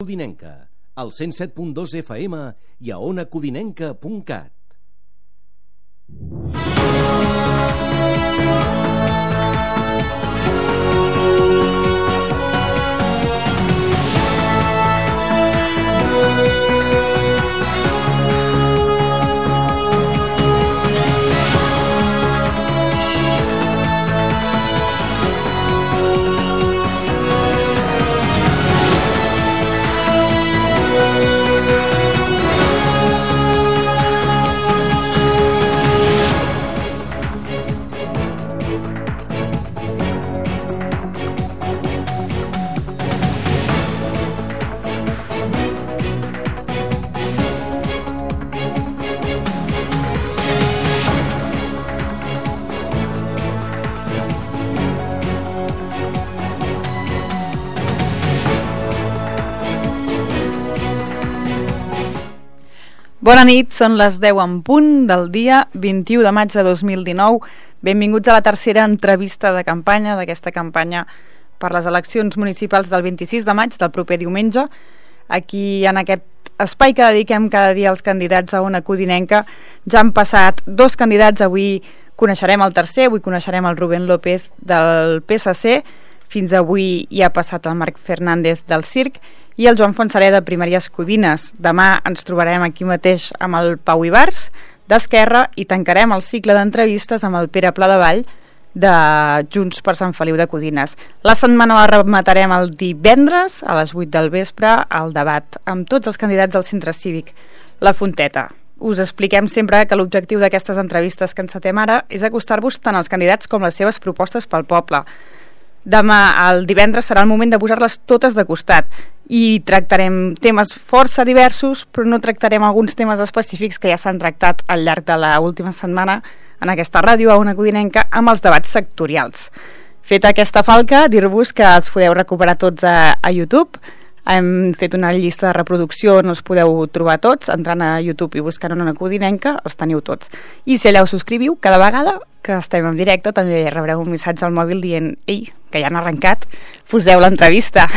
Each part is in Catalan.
Codinenca, al 107.2 FM i a onacodinenca.cat. Bona nit, són les 10 en punt del dia 21 de maig de 2019. Benvinguts a la tercera entrevista de campanya d'aquesta campanya per les eleccions municipals del 26 de maig del proper diumenge. Aquí, en aquest espai que dediquem cada dia als candidats a Ona Codinenca, ja han passat dos candidats. Avui coneixerem el tercer, avui coneixerem el Rubén López del PSC. Fins avui hi ha passat el Marc Fernández del CIRC i el Joan Fontserè de Primeries Codines. Demà ens trobarem aquí mateix amb el Pau Ibars d'Esquerra i tancarem el cicle d'entrevistes amb el Pere Pladevall de Junts per Sant Feliu de Codines. La setmana la rematarem el divendres a les 8 del vespre al debat amb tots els candidats del Centre Cívic La Fonteta. Us expliquem sempre que l'objectiu d'aquestes entrevistes que encetem ara és acostar-vos tant als candidats com les seves propostes pel poble. Demà, el divendres, serà el moment de posar-les totes de costat i tractarem temes força diversos, però no tractarem alguns temes específics que ja s'han tractat al llarg de l'última setmana en aquesta ràdio a Ona Codinenca amb els debats sectorials. Feta aquesta falca, dir-vos que els podeu recuperar tots a YouTube. Hem fet una llista de reproducció on els podeu trobar tots, entrant a YouTube i buscant Ona Codinenca, els teniu tots. I si allà us subscriviu, cada vegada que estem en directe també rebreu un missatge al mòbil dient «Ei, que ja han arrencat, poseu l'entrevista».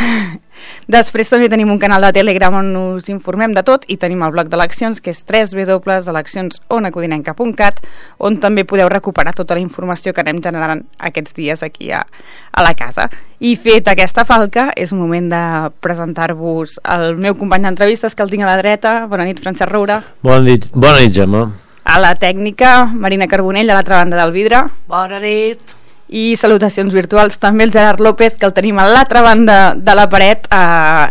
Després també tenim un canal de Telegram on us informem de tot i tenim el bloc d'eleccions que és www.eleccionsonacodinenca.cat, on també podeu recuperar tota la informació que anem generant aquests dies aquí a la casa. I fet aquesta falca, és moment de presentar-vos el meu company d'entrevistes, que el tinc a la dreta. Bona nit, Francesc Roura. Bona nit, Gemma. A la tècnica, Marina Carbonell, a l'altra banda del vidre. Bona nit. I salutacions virtuals també el Gerard López, que el tenim a l'altra banda de la paret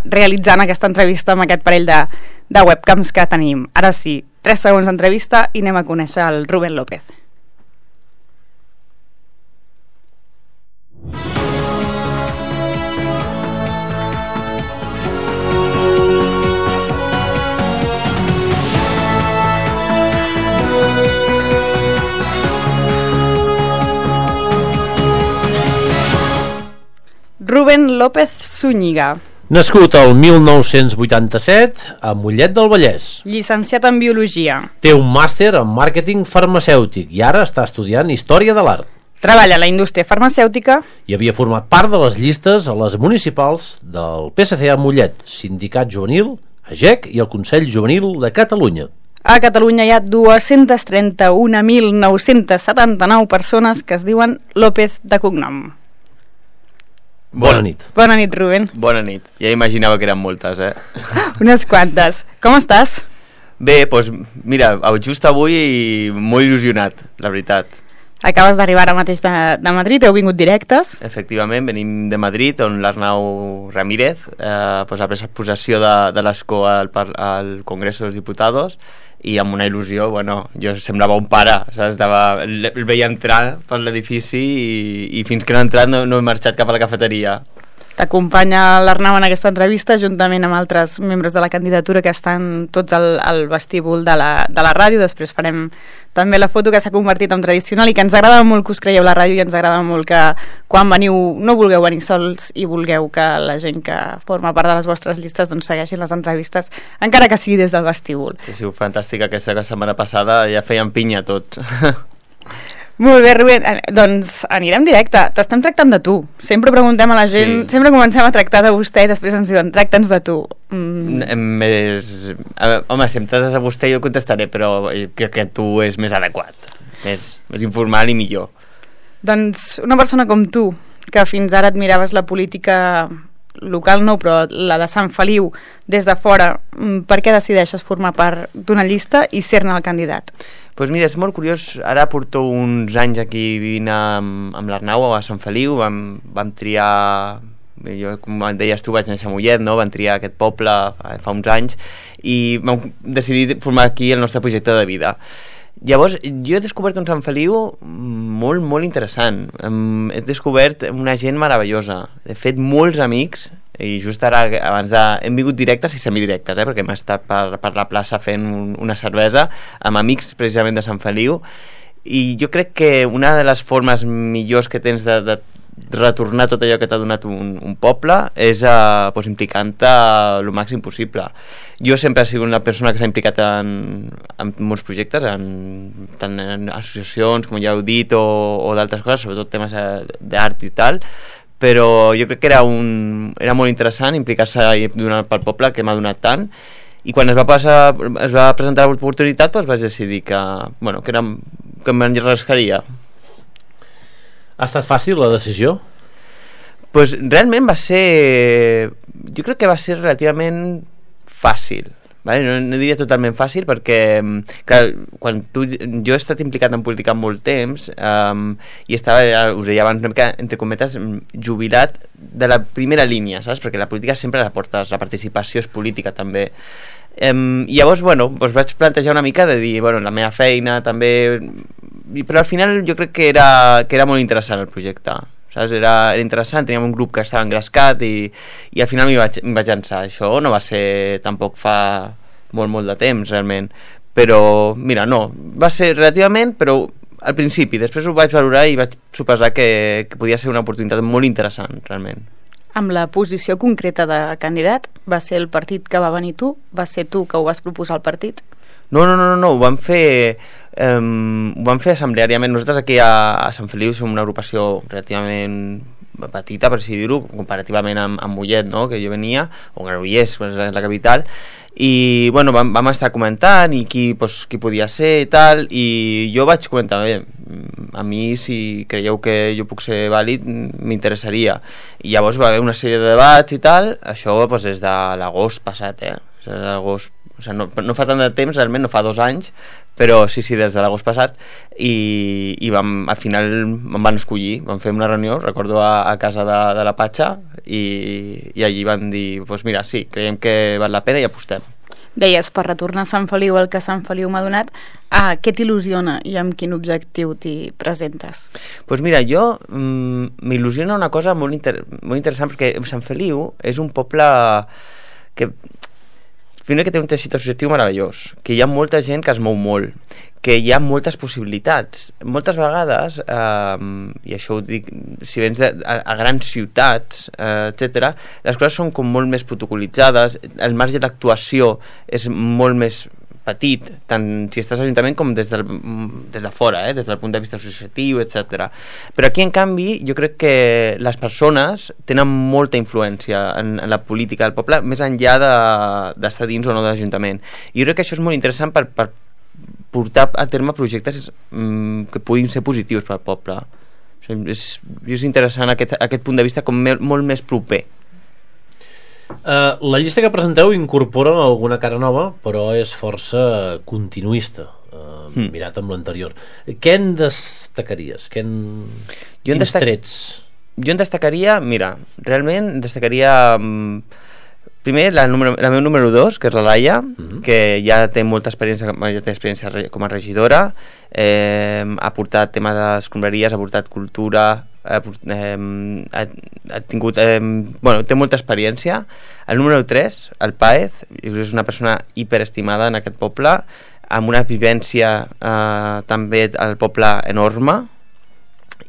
realitzant aquesta entrevista amb aquest parell de webcams que tenim. Ara sí, 3 segons d'entrevista i anem a conèixer el Rubén López. Rubén López Zúñiga. Nascut el 1987 a Mollet del Vallès. Llicenciat en Biologia. Té un màster en màrqueting farmacèutic i ara està estudiant Història de l'Art. Treballa a la indústria farmacèutica. I havia format part de les llistes a les municipals del PSC a Mollet, Sindicat Juvenil, AGEC i el Consell Juvenil de Catalunya. A Catalunya hi ha 231.979 persones que es diuen López de cognom. Bona nit. Bona nit, Rubén. Bona nit. Ja imaginava que eren moltes, Unes quantes. Com estàs? Bé, doncs mira, just avui molt il·lusionat, la veritat. Acabes d'arribar ara mateix de Madrid, heu vingut directes? Efectivament, venim de Madrid, on l'Arnau Ramírez ha pres possessió de l'escó al Congreso dels Diputados, i amb una il·lusió, jo semblava un pare, saps? El veia entrar per l'edifici i fins que no he entrat no he marxat cap a la cafeteria. T'acompanya l'Arnau en aquesta entrevista juntament amb altres membres de la candidatura que estan tots al vestíbul de la ràdio. Després farem també la foto que s'ha convertit en tradicional i que ens agrada molt que us creieu la ràdio i ens agrada molt que quan veniu no vulgueu venir sols i vulgueu que la gent que forma part de les vostres llistes doncs segueixin les entrevistes, encara que sigui des del vestíbul. Ha sigut fantàstica aquesta setmana passada, ja feien pinya tots. Molt bé, Rubén. Doncs anirem directe. T'estem tractant de tu. Sempre preguntem a la gent, sempre comencem a tractar de vostè i després ens diuen, tracta'ns de tu. Home, si em tractes a vostè jo contestaré, però crec que tu és més adequat. Més informal i millor. Doncs una persona com tu, que fins ara admiraves la política local no, però la de Sant Feliu des de fora, per què decideixes formar part d'una llista i ser-ne el candidat? Doncs mira, és molt curiós, ara porto uns anys aquí vivint amb l'Arnau a Sant Feliu, vam triar, jo com deies tu vaig néixer a Mollet, no? Vam triar aquest poble fa uns anys i vam decidir formar aquí el nostre projecte de vida. Llavors, jo he descobert un Sant Feliu molt, molt interessant. He descobert una gent meravellosa. He fet molts amics i just ara, hem vingut directes i semidirectes, perquè hem estat per la plaça fent una cervesa amb amics precisament de Sant Feliu, i jo crec que una de les formes millors que tens de retornar tot allò que t'ha donat un poble és implicant-te el màxim possible. Jo sempre he sigut una persona que s'ha implicat en molts projectes, tant en associacions, com ja heu dit, o d'altres coses, sobretot temes d'art i tal, però jo crec que era molt interessant implicar-se pel poble que m'ha donat tant, i quan es va presentar l'oportunitat vaig decidir que m'enrascaria. Ha estat fàcil la decisió? Pues realment jo crec que va ser relativament fàcil, vale? No diria totalment fàcil perquè clar, jo he estat implicat en política molt temps i estava, us deia abans, una mica entre cometes jubilat de la primera línia, saps? Perquè la política sempre la portes, la participació és política també. I llavors vaig plantejar una mica de dir, la meva feina també, però al final jo crec que era molt interessant el projecte, saps? Era interessant, teníem un grup que estava engrescat i al final m'hi vaig llançar. Això no va ser tampoc fa molt de temps realment, però mira, no, va ser relativament, però al principi, després ho vaig valorar i vaig suposar que podia ser una oportunitat molt interessant realment. Amb la posició concreta de candidat, va ser el partit que va venir tu? Va ser tu que ho vas proposar al partit? No, ho vam fer assembleàriament. Nosaltres aquí a Sant Feliu som una agrupació relativament petita, per així dir-ho, comparativament amb Mollet, no?, que jo venia, o Granollers, que és la capital, i vam estar comentant i qui podia ser i tal, i jo vaig comentar, a mi si creieu que jo puc ser vàlid m'interessaria, i llavors va haver una sèrie de debats i tal. Això des de l'agost passat, l'agost, no fa tant de temps realment, no fa 2 anys, però sí, des de l'agost passat, i al final em van escollir, vam fer una reunió, recordo a casa de la Patxa, i allí van dir, mira, sí, creiem que val la pena i apostem. Deies, per retornar a Sant Feliu, el que Sant Feliu m'ha donat, què t'il·lusiona i amb quin objectiu t'hi presentes? Doncs mira, jo m'il·lusiona una cosa molt interessant, perquè Sant Feliu és un poble que primer que té un teixit associatiu meravellós, que hi ha molta gent que es mou molt, que hi ha moltes possibilitats. Moltes vegades, i això ho dic, si vens a grans ciutats, etc., les coses són com molt més protocolitzades, el marge d'actuació és molt més petit, tant si estàs a l'Ajuntament com des de fora, des del punt de vista associatiu, etc. Però aquí, en canvi, jo crec que les persones tenen molta influència en la política del poble, més enllà d'estar dins o no de l'Ajuntament. I jo crec que això és molt interessant per portar a terme projectes que puguin ser positius per al poble. És interessant aquest punt de vista com molt més proper. La llista que presenteu incorpora alguna cara nova, però és força continuista, mirat amb l'anterior. Què en destacaries? Quins trets? Jo en destacaria, mira, realment destacaria primer la meva número 2, que és la Laia, que ja té molta experiència, com a regidora, ha portat tema d'escombraries, ha portat cultura, ha tingut té molta experiència. El número 3, el Páez, és una persona hiperestimada en aquest poble, amb una vivència també al poble enorme,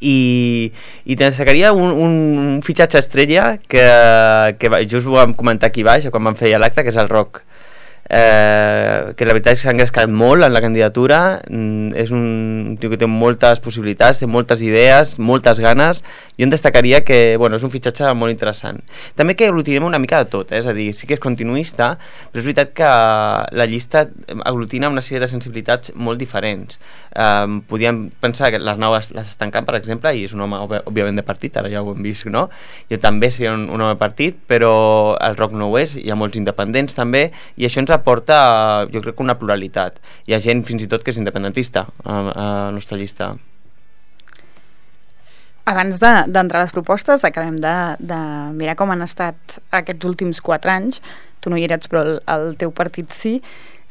i destacaria un fitxatge estrella que just ho vam comentar aquí baix quan vam fer l'acte, que és el Roc. que la veritat és que s'ha engrescat molt en la candidatura, és un tio que té moltes possibilitats, té moltes idees, moltes ganes. Jo en destacaria que és un fitxatge molt interessant. També que aglutinem una mica de tot, és a dir, sí que és continuista, però és veritat que la llista aglutina una sèrie de sensibilitats molt diferents. Podíem pensar que l'Arnau l'està tancant, per exemple, i és un home òbviament de partit, ara ja ho hem vist, no? Jo també seria un home de partit, però el Roc no ho és, hi ha molts independents també, i això ens aporta, jo crec que una pluralitat. Hi ha gent fins i tot que és independentista a la nostra llista. Abans d'entrar a les propostes, acabem de mirar com han estat aquests últims 4 anys. Tu no hi eres, però el teu partit sí.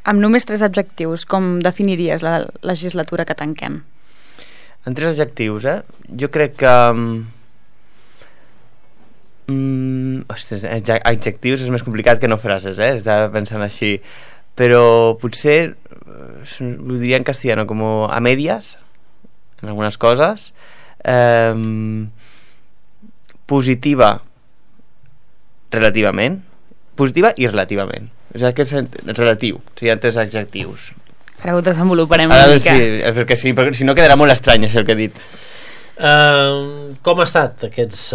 Amb només 3 adjectius, com definiries la legislatura que tanquem? En 3 adjectius, jo crec que... Ostres, adjectius és més complicat que no frases, estava pensant així, però potser ho diria en castellano com a medias en algunes coses. Positiva relativament, positiva i relativament, o sigui que és relatiu, serien 3 adjectius. Ara ho desenvoluparem una mica. Sí, perquè si no quedarà molt estrany això que he dit. Com ha estat aquests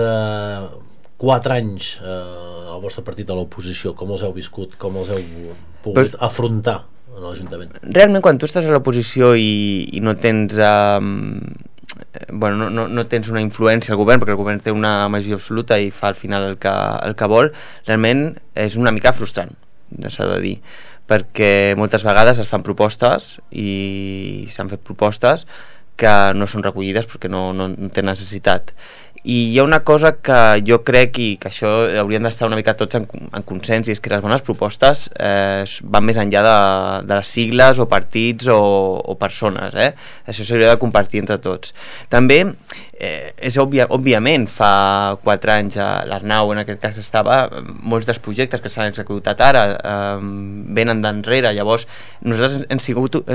4 anys el vostre partit a l'oposició? Com els heu viscut? Com els heu pogut afrontar a l'Ajuntament? Realment, quan tu estàs a l'oposició i no tens no tens una influència al govern, perquè el govern té una majoria absoluta i fa al final el que vol, realment és una mica frustrant, s'ha de dir, perquè moltes vegades es fan propostes i s'han fet propostes que no són recollides perquè no té necessitat. I hi ha una cosa que jo crec i que això hauríem d'estar una mica tots en consens, i és que les bones propostes van més enllà de les sigles o partits o persones, això s'hauria de compartir entre tots. També és òbviament fa 4 anys l'Arnau en aquest cas estava, molts dels projectes que s'han executat ara venen d'enrere, llavors nosaltres hem sigut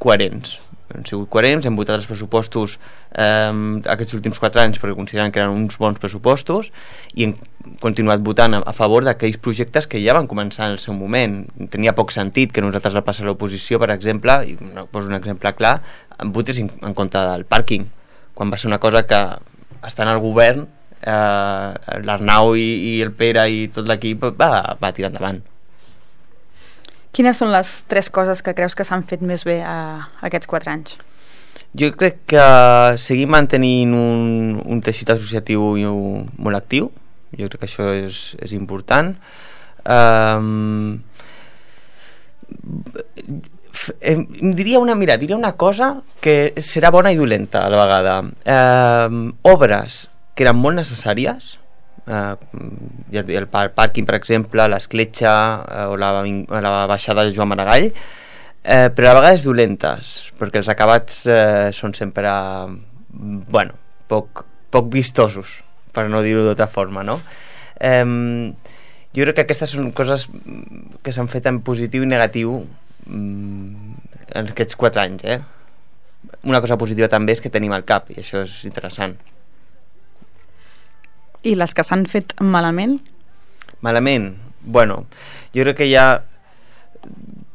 coherents, hem votat els pressupostos aquests últims 4 anys perquè consideren que eren uns bons pressupostos, i hem continuat votant a favor d'aquells projectes que ja van començar en el seu moment. Tenia poc sentit que nosaltres al passar a l'oposició, per exemple, i poso un exemple clar, votés en contra del pàrquing, quan va ser una cosa que estant al govern l'Arnau i el Pere i tot l'equip va tirar endavant. Quines són les 3 coses que creus que s'han fet més bé aquests 4 anys? Jo crec que seguir mantenint un teixit associatiu molt actiu. Jo crec que això és important. Diria una cosa que serà bona i dolenta a la vegada. Obres que eren molt necessàries, el pàrquing, per exemple, l'escletxa o la baixada de Joan Maragall, però a vegades dolentes, perquè els acabats són sempre poc vistosos, per no dir-ho d'altra forma, no? Jo crec que aquestes són coses que s'han fet en positiu i negatiu en aquests 4 anys. Una cosa positiva també és que tenim el CAP, i això és interessant. I les que s'han fet malament? Malament? Jo crec que hi ha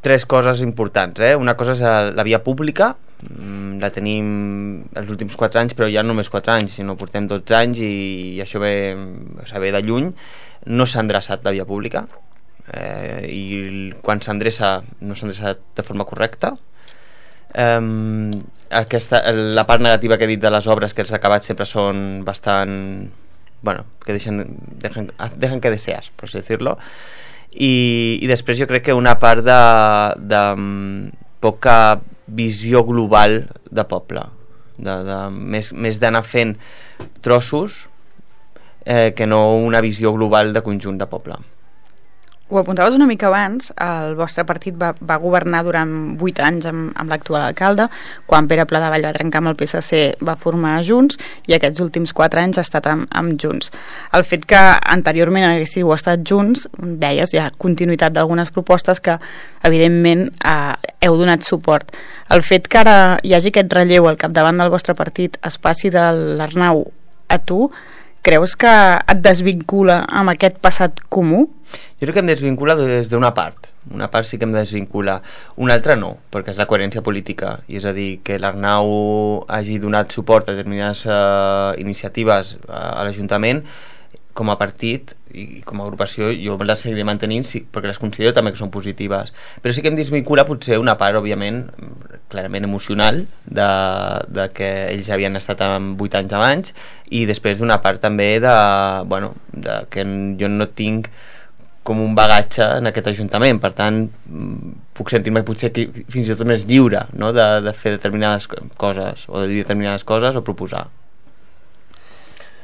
3 coses importants. Una cosa és la via pública, la tenim els últims 4 anys, però ja no només 4 anys, sinó portem 12 anys i això ve de lluny. No s'ha endreçat la via pública, i quan s'endreça no s'ha endreçat de forma correcta. La part negativa que he dit de les obres, que els acabats sempre són bastant... que dejan que desear, por así decirlo. I després jo crec que una part de poca visió global de poble, més d'anar fent trossos que no una visió global de conjunt de poble. Ho apuntaves una mica abans, el vostre partit va governar durant 8 anys amb l'actual alcalde. Quan Pere Pladevall va trencar amb el PSC va formar Junts, i aquests últims 4 anys ha estat amb Junts. El fet que anteriorment haguéssiu estat Junts, deies, hi ha continuïtat d'algunes propostes que evidentment heu donat suport. El fet que ara hi hagi aquest relleu al capdavant del vostre partit, es passi de l'Arnau a tu, creus que et desvincula amb aquest passat comú? Jo crec que em desvincula des d'una part. Una part sí que em desvincula, una altra no, perquè és la coherència política, i és a dir, que l'Arnau hagi donat suport a determinades iniciatives a l'Ajuntament, com a partit i com a agrupació jo les seguiré mantenint, sí, perquè les considero també que són positives, però sí que em desvincula potser una part, òbviament, clarament emocional, de que ells havien estat amb 8 anys abans, i després d'una part també de que jo no tinc com un bagatge en aquest Ajuntament, per tant puc sentir-me potser fins i tot més lliure, no? de fer determinades coses o de dir determinades coses o proposar.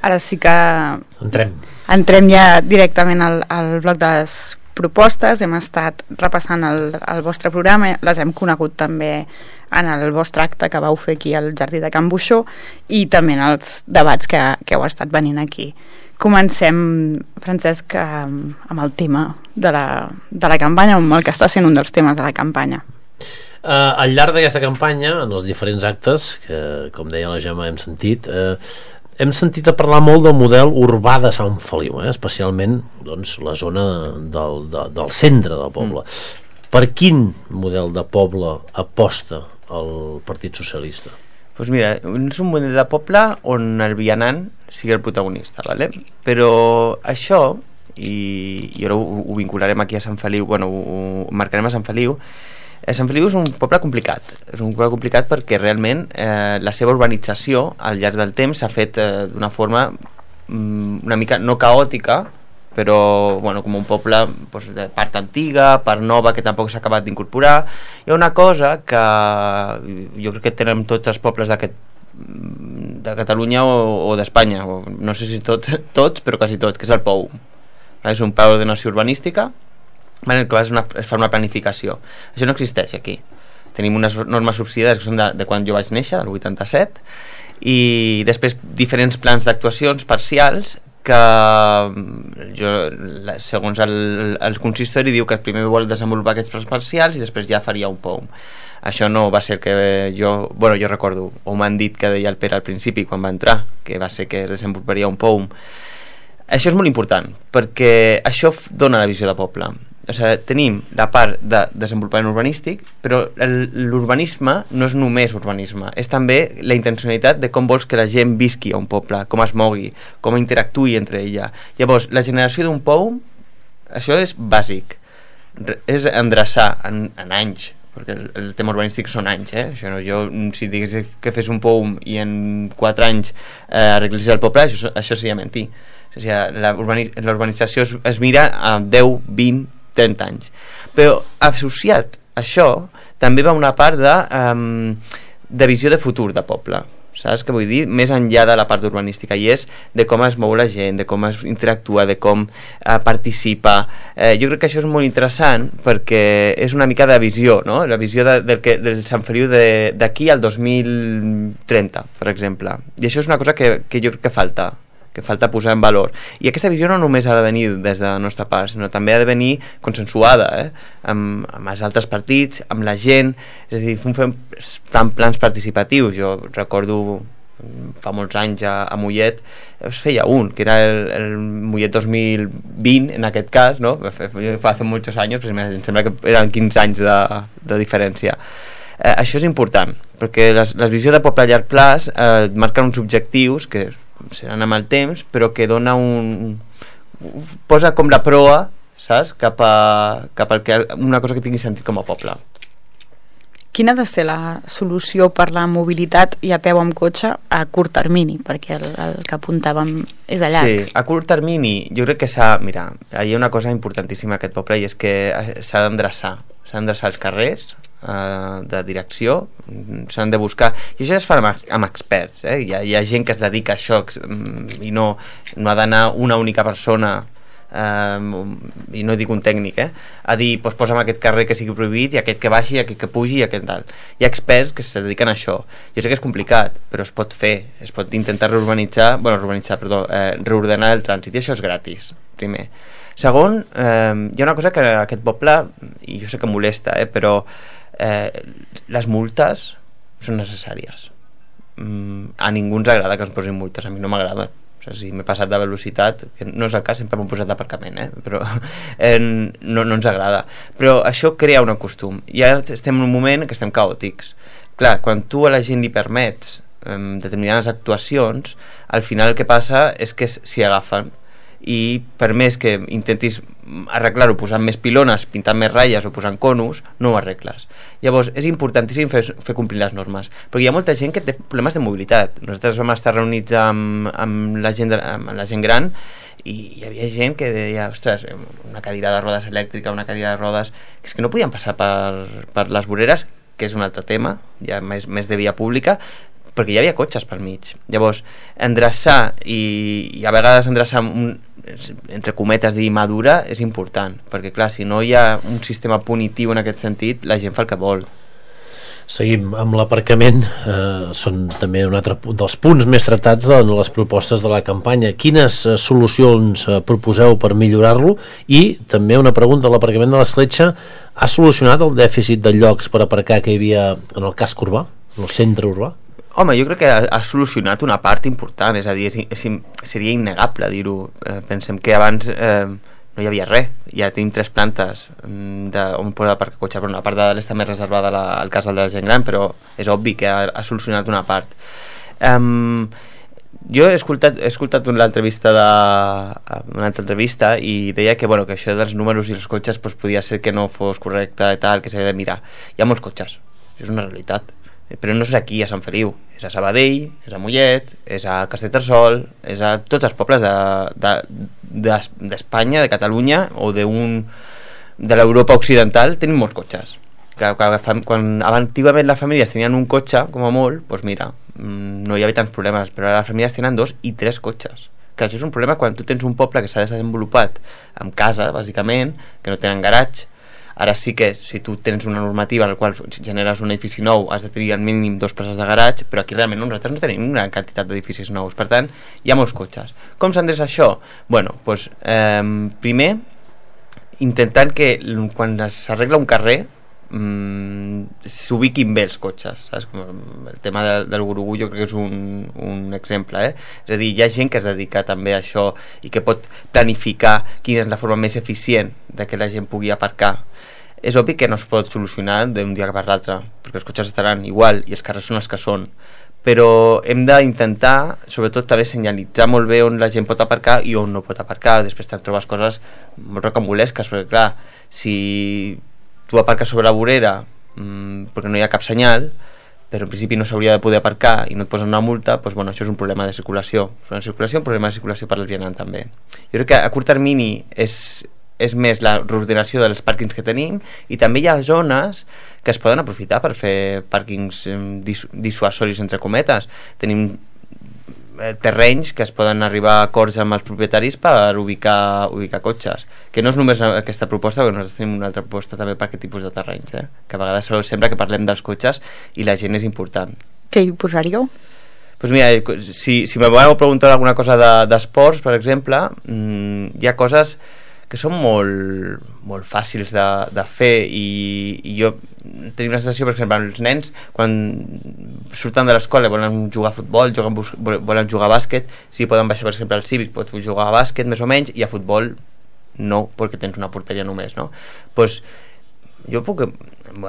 Ara sí que entrem ja directament al bloc de les propostes. Hem estat repassant el vostre programa, les hem conegut també en el vostre acte que vau fer aquí al Jardí de Can Buixó i també en els debats que heu estat venint aquí. Comencem, Francesc, amb el tema de la campanya, amb el que està sent un dels temes de la campanya. Al llarg d'aquesta campanya, en els diferents actes, que com deia la Gemma hem sentit a parlar molt del model urbà de Sant Feliu, especialment doncs, la zona del centre del poble. Per quin model de poble aposta el Partit Socialista? Doncs mira, és un model de poble on el vianant sigui el protagonista, ¿vale? Però això, i ara ho vincularem aquí a Sant Feliu, ho marcarem a Sant Feliu. Sant Feliu és un poble complicat. És un poble complicat perquè realment la seva urbanització al llarg del temps s'ha fet d'una forma una mica no caòtica, però com un poble de part antiga, part nova, que tampoc s'ha acabat d'incorporar. Hi ha una cosa que jo crec que tenen tots els pobles de Catalunya o d'Espanya, no sé si tots, però quasi tots, que és el POU. És un pla d'ordenació urbanística en el que es fa una planificació. Això no existeix aquí. Tenim unes normes subsidiades que són de quan jo vaig néixer, del 87, i després diferents plans d'actuacions parcials que segons el consistori diu que primer vol desenvolupar aquests plans parcials i després ja faria un POUM. Això no va ser el que jo recordo, o m'han dit que deia el Pere al principi quan va entrar, que va ser que desenvoluparia un POUM. Això és molt important perquè això dona la visió de poble. O sigui, tenim la part de desenvolupament urbanístic, però l'urbanisme no és només urbanisme, és també la intencionalitat de com vols que la gent visqui a un poble, com es mogui, com interactuï entre ella. Llavors, la generació d'un POUM, això és bàsic, és endreçar en anys, perquè el tema urbanístic són anys, Això no, si digués que fes un POUM i en 4 anys arreglés el poble, això seria mentir. O sigui, la urbanització es mira a 10, 20, 30 anys. Però associat a això també va una part de visió de futur de poble, saps què vull dir? Més enllà de la part urbanística, i és de com es mou la gent, de com es interactua, de com participa. Jo crec que això és molt interessant perquè és una mica de visió, no? La visió del Sant Feliu d'aquí al 2030, per exemple. I això és una cosa que jo crec que falta posar en valor. I aquesta visió no només ha de venir des de la nostra part, sinó també ha de venir consensuada amb els altres partits, amb la gent, és a dir, fan plans participatius. Jo recordo fa molts anys a Mollet es feia que era el Mollet 2020 en aquest cas, no? Fa molts anys, però em sembla que eren 15 anys de diferència. Això és important, perquè la visió de poble a llarg plaç marquen uns objectius que seran amb el temps, però que dona posa com la proa, saps? Cap a una cosa que tingui sentit com a poble. Quina ha de ser la solució per la mobilitat i a peu amb cotxe a curt termini? Perquè el que apuntàvem és a llarg. Sí, a curt termini jo crec que mira, hi ha una cosa importantíssima a aquest poble, i és que s'ha d'endreçar els carrers de direcció, s'han de buscar, i això es fa amb experts, hi ha gent que es dedica a això i no ha d'anar una única persona i no dic un tècnic a dir, posa'm aquest carrer que sigui prohibit i aquest que baixi, i aquest que pugi i aquest tal. Hi ha experts que se dediquen a això. Jo sé que és complicat, però es pot fer, es pot intentar reordenar el trànsit, i això és gratis, primer. Segon, hi ha una cosa que aquest poble, i jo sé que molesta, però les multes són necessàries. A ningú ens agrada que ens posin multes, a mi no m'agrada, O sigui, si m'he passat de velocitat, que no és el cas, sempre m'ho he posat d'aparcament, però no ens agrada. Però això crea un costum. I ara estem en un moment que estem caòtics. Clar, quan tu a la gent li permets determinades actuacions, al final el que passa és que s'hi agafen, i per més que intentis arreglar-ho posant més pilones, pintant més ratlles o posant conus, no ho arregles. Llavors és importantíssim fer complir les normes, perquè hi ha molta gent que té problemes de mobilitat. Nosaltres vam estar reunits amb la gent gran i hi havia gent que deia, ostres, una cadira de rodes elèctrica, una cadira de rodes, que és que no podien passar per les voreres, que és un altre tema, ja més de via pública, perquè hi havia cotxes pel mig. Llavors, endreçar i a vegades endreçar entre cometes dir madura és important, perquè clar, si no hi ha un sistema punitiu en aquest sentit, la gent fa el que vol. Seguim amb l'aparcament, són també un altre dels punts més tractats de les propostes de la campanya. Quines solucions proposeu per millorar-lo? I també una pregunta, l'aparcament de l'Escletxa ha solucionat el dèficit de llocs per aparcar que hi havia en el casc urbà, en el centre urbà? Home, jo crec que ha solucionat una part important, és a dir, seria innegable dir-ho. Pensem que abans no hi havia res, ja tenim 3 plantes on poder aparcar cotxe, però una part de l'est també reservada al casal de la gent gran, però és obvi que ha solucionat una part. Jo he escoltat una altra entrevista i deia que, que això dels números i els cotxes podia ser que no fos correcte i tal, que s'havia de mirar. Hi ha molts cotxes, això és una realitat, però no és aquí a Sant Feliu, és a Sabadell, és a Mollet, és a Castellterçol, és a tots els pobles d'Espanya, de Catalunya o de l'Europa occidental. Tenim molts cotxes. Quan antigament les famílies tenien un cotxe, com a molt, doncs mira, no hi havia tants problemes, però ara les famílies tenen 2 i 3 cotxes. Que això és un problema quan tu tens un poble que s'ha desenvolupat amb casa, bàsicament, que no tenen garatge. Ara sí que si tu tens una normativa en la qual generes un edifici nou has de tenir al mínim 2 places de garatge, però aquí realment nosaltres no tenim una gran quantitat d'edificis nous, per tant hi ha molts cotxes. Com s'endreça això? Primer intentant que quan s'arregla un carrer s'ubiquin bé els cotxes, saps? Com el tema del Gurugú jo crec que és un exemple, és a dir, hi ha gent que es dedica també a això i que pot planificar quina és la forma més eficient de que la gent pugui aparcar. És obvi que no es pot solucionar d'un dia per l'altre, perquè els cotxes estaran igual i els carrers són els que són, però hem d'intentar sobretot també senyalitzar molt bé on la gent pot aparcar i on no pot aparcar. Després te'n trobes coses molt rocambolesques, perquè clar, si tu aparques sobre la vorera perquè no hi ha cap senyal, però en principi no s'hauria de poder aparcar i no et posen una multa, doncs això és un problema de circulació. Un problema de circulació per al vianant també. Jo crec que a curt termini és més la reordenació dels pàrquings que tenim, i també hi ha zones que es poden aprofitar per fer pàrquings dissuasoris entre cometes. Tenim terrenys que es poden arribar a acords amb els propietaris per ubicar cotxes, que no és només aquesta proposta, perquè nosaltres tenim una altra proposta també per aquest tipus de terrenys, que a vegades sembla que parlem dels cotxes i la gent és important. Què hi posaríeu? Doncs mira, si me voleu preguntar alguna cosa d'esports, per exemple, hi ha coses que són molt fàcils de fer, i jo tenim la sensació, per exemple, els nens quan surten de l'escola volen jugar a futbol, volen jugar a bàsquet, si poden baixar per exemple al Cívic pots jugar a bàsquet més o menys, i a futbol no, perquè tens una porteria només, no? Doncs jo puc,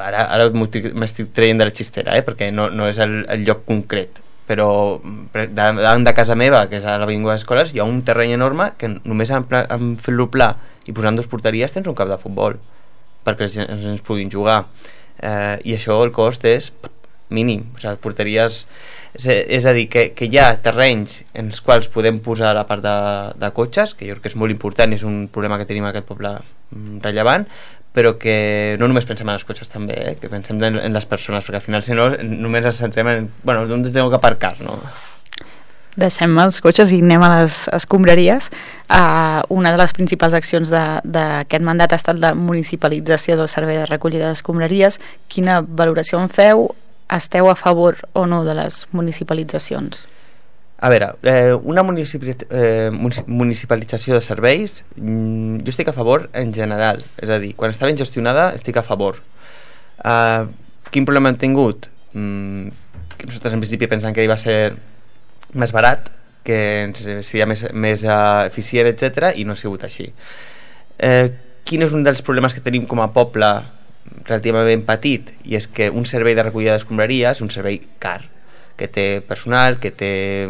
ara m'estic traient de la xistera, perquè no és el lloc concret, però davant de casa meva, que és a l'Avinguda d'Escoles, hi ha un terreny enorme que només en fer-lo pla i posant 2 porteries tens un camp de futbol perquè els nens puguin jugar, i això el cost és mínim, o sigui, porteries, és a dir, que hi ha terrenys en els quals podem posar la part de cotxes, que jo crec que és molt important i és un problema que tenim a aquest poble rellevant, però que no només pensem en els cotxes també, que pensem en les persones, perquè al final si no només ens centrem en on tengo que aparcar, no? Deixem els cotxes i anem a les escombraries. Una de les principals accions d'aquest mandat ha estat la municipalització del servei de recollida d'escombraries. Quina valoració en feu? Esteu a favor o no de les municipalitzacions? A veure, una municipalització de serveis, jo estic a favor en general, és a dir, quan està ben gestionada estic a favor. Quin problema hem tingut? Que nosaltres en principi pensem que va ser més barat, seria més eficient, etc., i no ha sigut així. Quin és un dels problemes que tenim com a poble relativament petit? I és que un servei de recollida d'escombraries és un servei car, que té personal, que té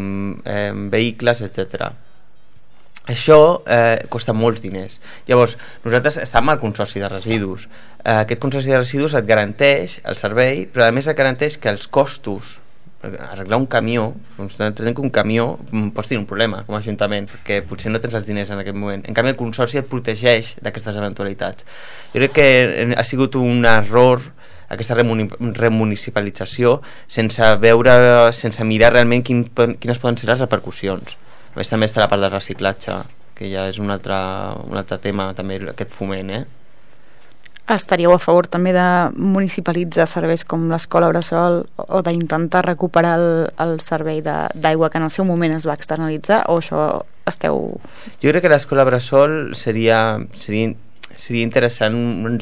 vehicles, etc. Això costa molts diners. Llavors, nosaltres estem al consorci de residus. Aquest consorci de residus et garanteix el servei, però a més et garanteix que els costos, arreglar un camió, que un camió pots tenir un problema com a ajuntament, perquè potser no tens els diners en aquest moment. En canvi, el consorci et protegeix d'aquestes eventualitats. Jo crec que ha sigut un error aquesta remunicipalització sense mirar realment quines poden ser les repercussions. A més, també està la part del reciclatge, que ja és un altre tema, també aquest foment, Estaríeu a favor també de municipalitzar serveis com l'escola bressol o d'intentar recuperar el servei d'aigua que en el seu moment es va externalitzar, o això esteu... Jo crec que l'escola bressol seria interessant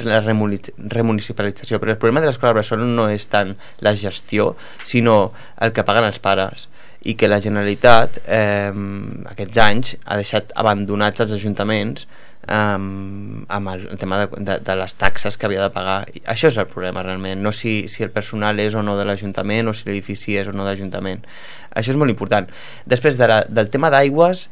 la remunicipalització, però el problema de l'escola bressol no és tant la gestió, sinó el que paguen els pares, i que la Generalitat aquests anys ha deixat abandonats els ajuntaments amb el tema de les taxes que havia de pagar. Això és el problema realment, no si el personal és o no de l'Ajuntament o si l'edifici és o no de l'Ajuntament. Això és molt important. Després del tema d'aigües,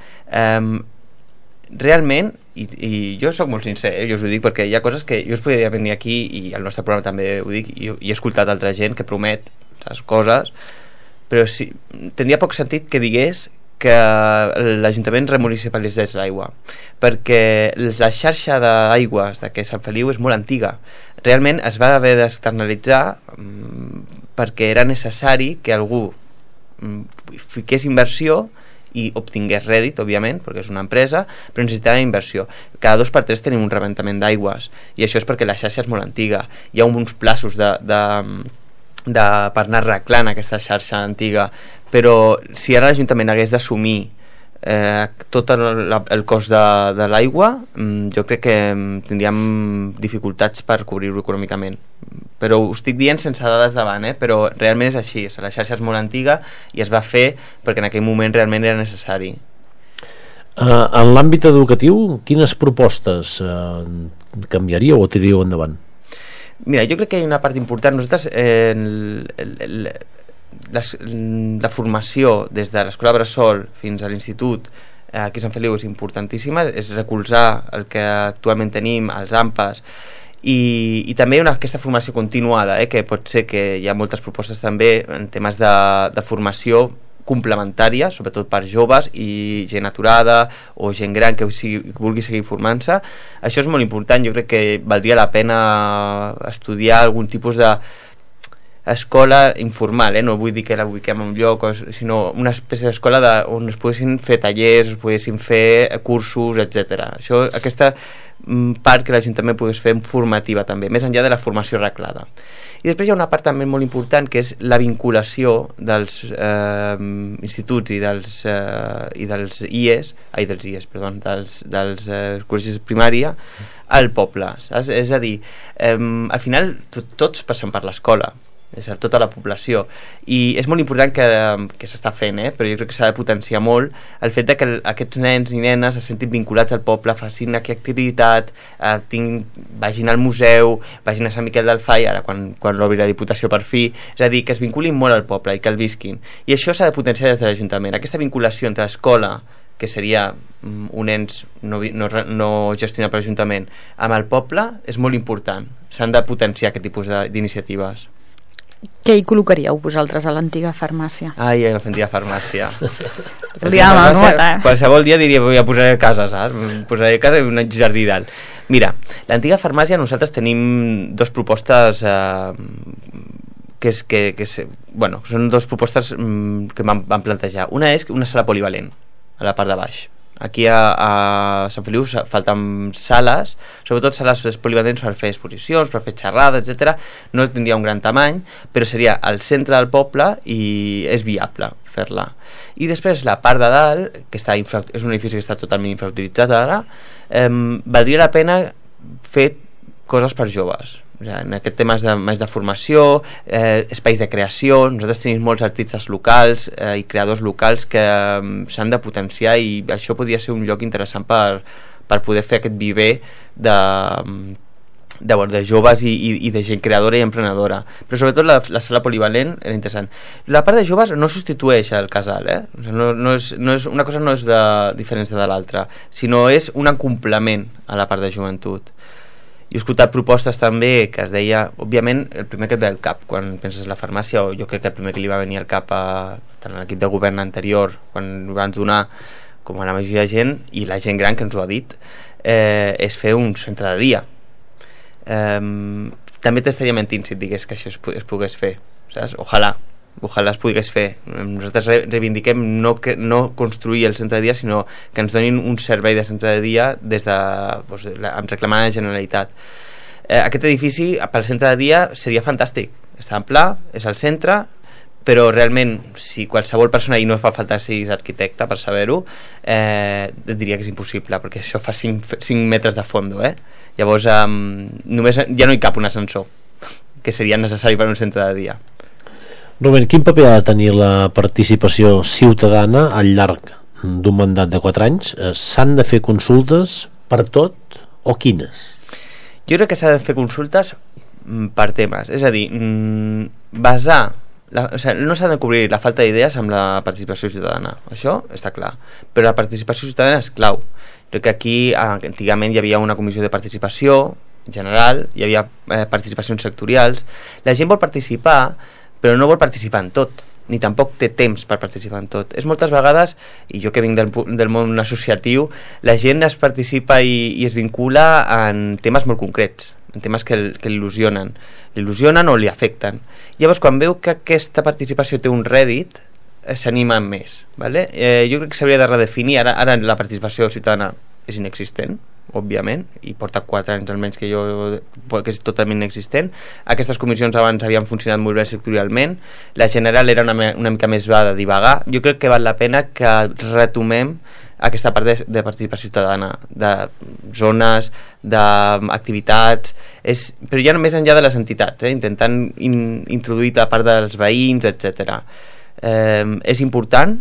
realment, i jo sóc molt sincer, jo us ho dic perquè hi ha coses que jo us podria venir aquí, i al nostre programa també ho dic, i he escoltat altra gent que promet les coses, però sí, tindria poc sentit que digués que l'Ajuntament remunicipalitzés l'aigua, perquè la xarxa d'aigües de Sant Feliu és molt antiga. Realment es va haver d'externalitzar perquè era necessari que algú fiqués inversió i obtingués rèdit, òbviament, perquè és una empresa, però necessitava inversió. Cada 2 per 3 tenim un rebentament d'aigües, i això és perquè la xarxa és molt antiga. Hi ha uns plaços per anar arreglant aquesta xarxa antiga, però si ara l'Ajuntament hagués d'assumir tot el cost de l'aigua, jo crec que tindríem dificultats per cobrir-ho econòmicament. Però ho estic dient sense dades davant, però realment és així. La xarxa és molt antiga i es va fer perquè en aquell moment realment era necessari. En l'àmbit educatiu, quines propostes canviaríeu o tiraríeu endavant? Mira, jo crec que hi ha una part important. Nosaltres la formació des de l'escola bressol fins a l'institut aquí a Sant Feliu és importantíssima, és recolzar el que actualment tenim, els AMPAs, i també aquesta formació continuada, que pot ser que hi ha moltes propostes també en temes de formació complementària, sobretot per joves i gent aturada o gent gran que vulgui seguir formant-se. Això és molt important. Jo crec que valdria la pena estudiar algun tipus d'escola informal, no vull dir que la ubiquem en un lloc, sinó una espècie d'escola on es poguessin fer tallers, es poguessin fer cursos, etc. Aquesta part que l'Ajuntament pogués fer formativa també, més enllà de la formació reglada. I després hi ha una part també molt important, que és la vinculació dels instituts i dels IES, dels col·legis de primària al poble, saps? És a dir, al final tots passem per l'escola, és a dir, tota la població, i és molt important que s'està fent, però jo crec que s'ha de potenciar molt el fet de que aquests nens i nenes se sentin vinculats al poble, facin aquesta activitat, vagin al museu, vagin a Sant Miquel del Fai, ara quan l'obri la Diputació per fi, és a dir, que es vinculin molt al poble i que el visquin, i això s'ha de potenciar des de l'Ajuntament. Aquesta vinculació entre l'escola, que seria un ens no gestionat per l'Ajuntament, amb el poble, és molt important. S'han de potenciar aquest tipus d'iniciatives. Què hi col·locaríeu vosaltres a l'antiga farmàcia? Ai, a l'antiga farmàcia. És el dia de la nota, Qualsevol dia diria, voy a posar a casa, saps? Posaré a casa i un jardí dalt. Mira, l'antiga farmàcia nosaltres tenim 2 propostes són 2 propostes que vam plantejar. Una és una sala polivalent a la part de baix. Aquí a Sant Feliu falten sales, sobretot sales polivalents per fer exposicions, per fer xerrades, etc. No tindria un gran tamany, però seria al centre del poble i és viable fer-la. I després la part de dalt, que és un edifici que està totalment infrautilitzat ara, valdria la pena fer coses per joves. O sigui, en aquest tema més de formació, espais de creació. Nosaltres tenim molts artistes locals i creadors locals que s'han de potenciar, i això podria ser un lloc interessant per poder fer aquest viver de joves i de gent creadora i emprenedora. Però sobretot la sala polivalent era interessant. La part de joves no substitueix el casal, o sigui, no és, una cosa no és de diferència de l'altra, sinó és un complement a la part de joventut. Jo he escoltat propostes també que es deia, òbviament, el primer que et ve al cap quan penses en la farmàcia, o jo crec que el primer que li va venir al cap tant a l'equip de govern anterior, quan ho van donar, com a la majoria de gent, i la gent gran que ens ho ha dit, és fer un centre de dia. També t'estaria mentint si et digués que això es pogués fer, saps? Ojalà es pogués fer. Nosaltres reivindiquem no construir el centre de dia, sinó que ens donin un servei de centre de dia amb reclamant a la Generalitat. Aquest edifici pel centre de dia seria fantàstic, està en pla, és al centre, però realment si qualsevol persona, i no fa falta ser arquitecte per saber-ho, et diria que és impossible, perquè això fa 5 metres de fondo, llavors només ja no hi cap un ascensor, que seria necessari per un centre de dia. Rubén, quin paper ha de tenir la participació ciutadana al llarg d'un mandat de 4 anys? S'han de fer consultes per tot o quines? Jo crec que s'ha de fer consultes per temes, és a dir, no s'ha de cobrir la falta d'idees amb la participació ciutadana, això està clar, però la participació ciutadana és clau. Crec que aquí antigament hi havia una comissió de participació general, hi havia participacions sectorials, la gent vol participar però no vol participar en tot, ni tampoc té temps per participar en tot. És moltes vegades, i jo que vinc del món associatiu, la gent es participa i es vincula en temes molt concrets, en temes que l'il·lusionen o li afecten. Llavors, quan veu que aquesta participació té un rèdit, s'anima més. Vale? Jo crec que s'hauria de redefinir. Ara la participació ciutadana és inexistent, òbviament, i porta 4 anys almenys que és totalment inexistent. Aquestes comissions abans havien funcionat molt bé sectorialment, la general era una mica més va de divagar. Jo crec que val la pena que retomem aquesta part de participació ciutadana, de zones, d'activitats, però ja només enllà de les entitats, intentant introduir la part dels veïns, etc. És important,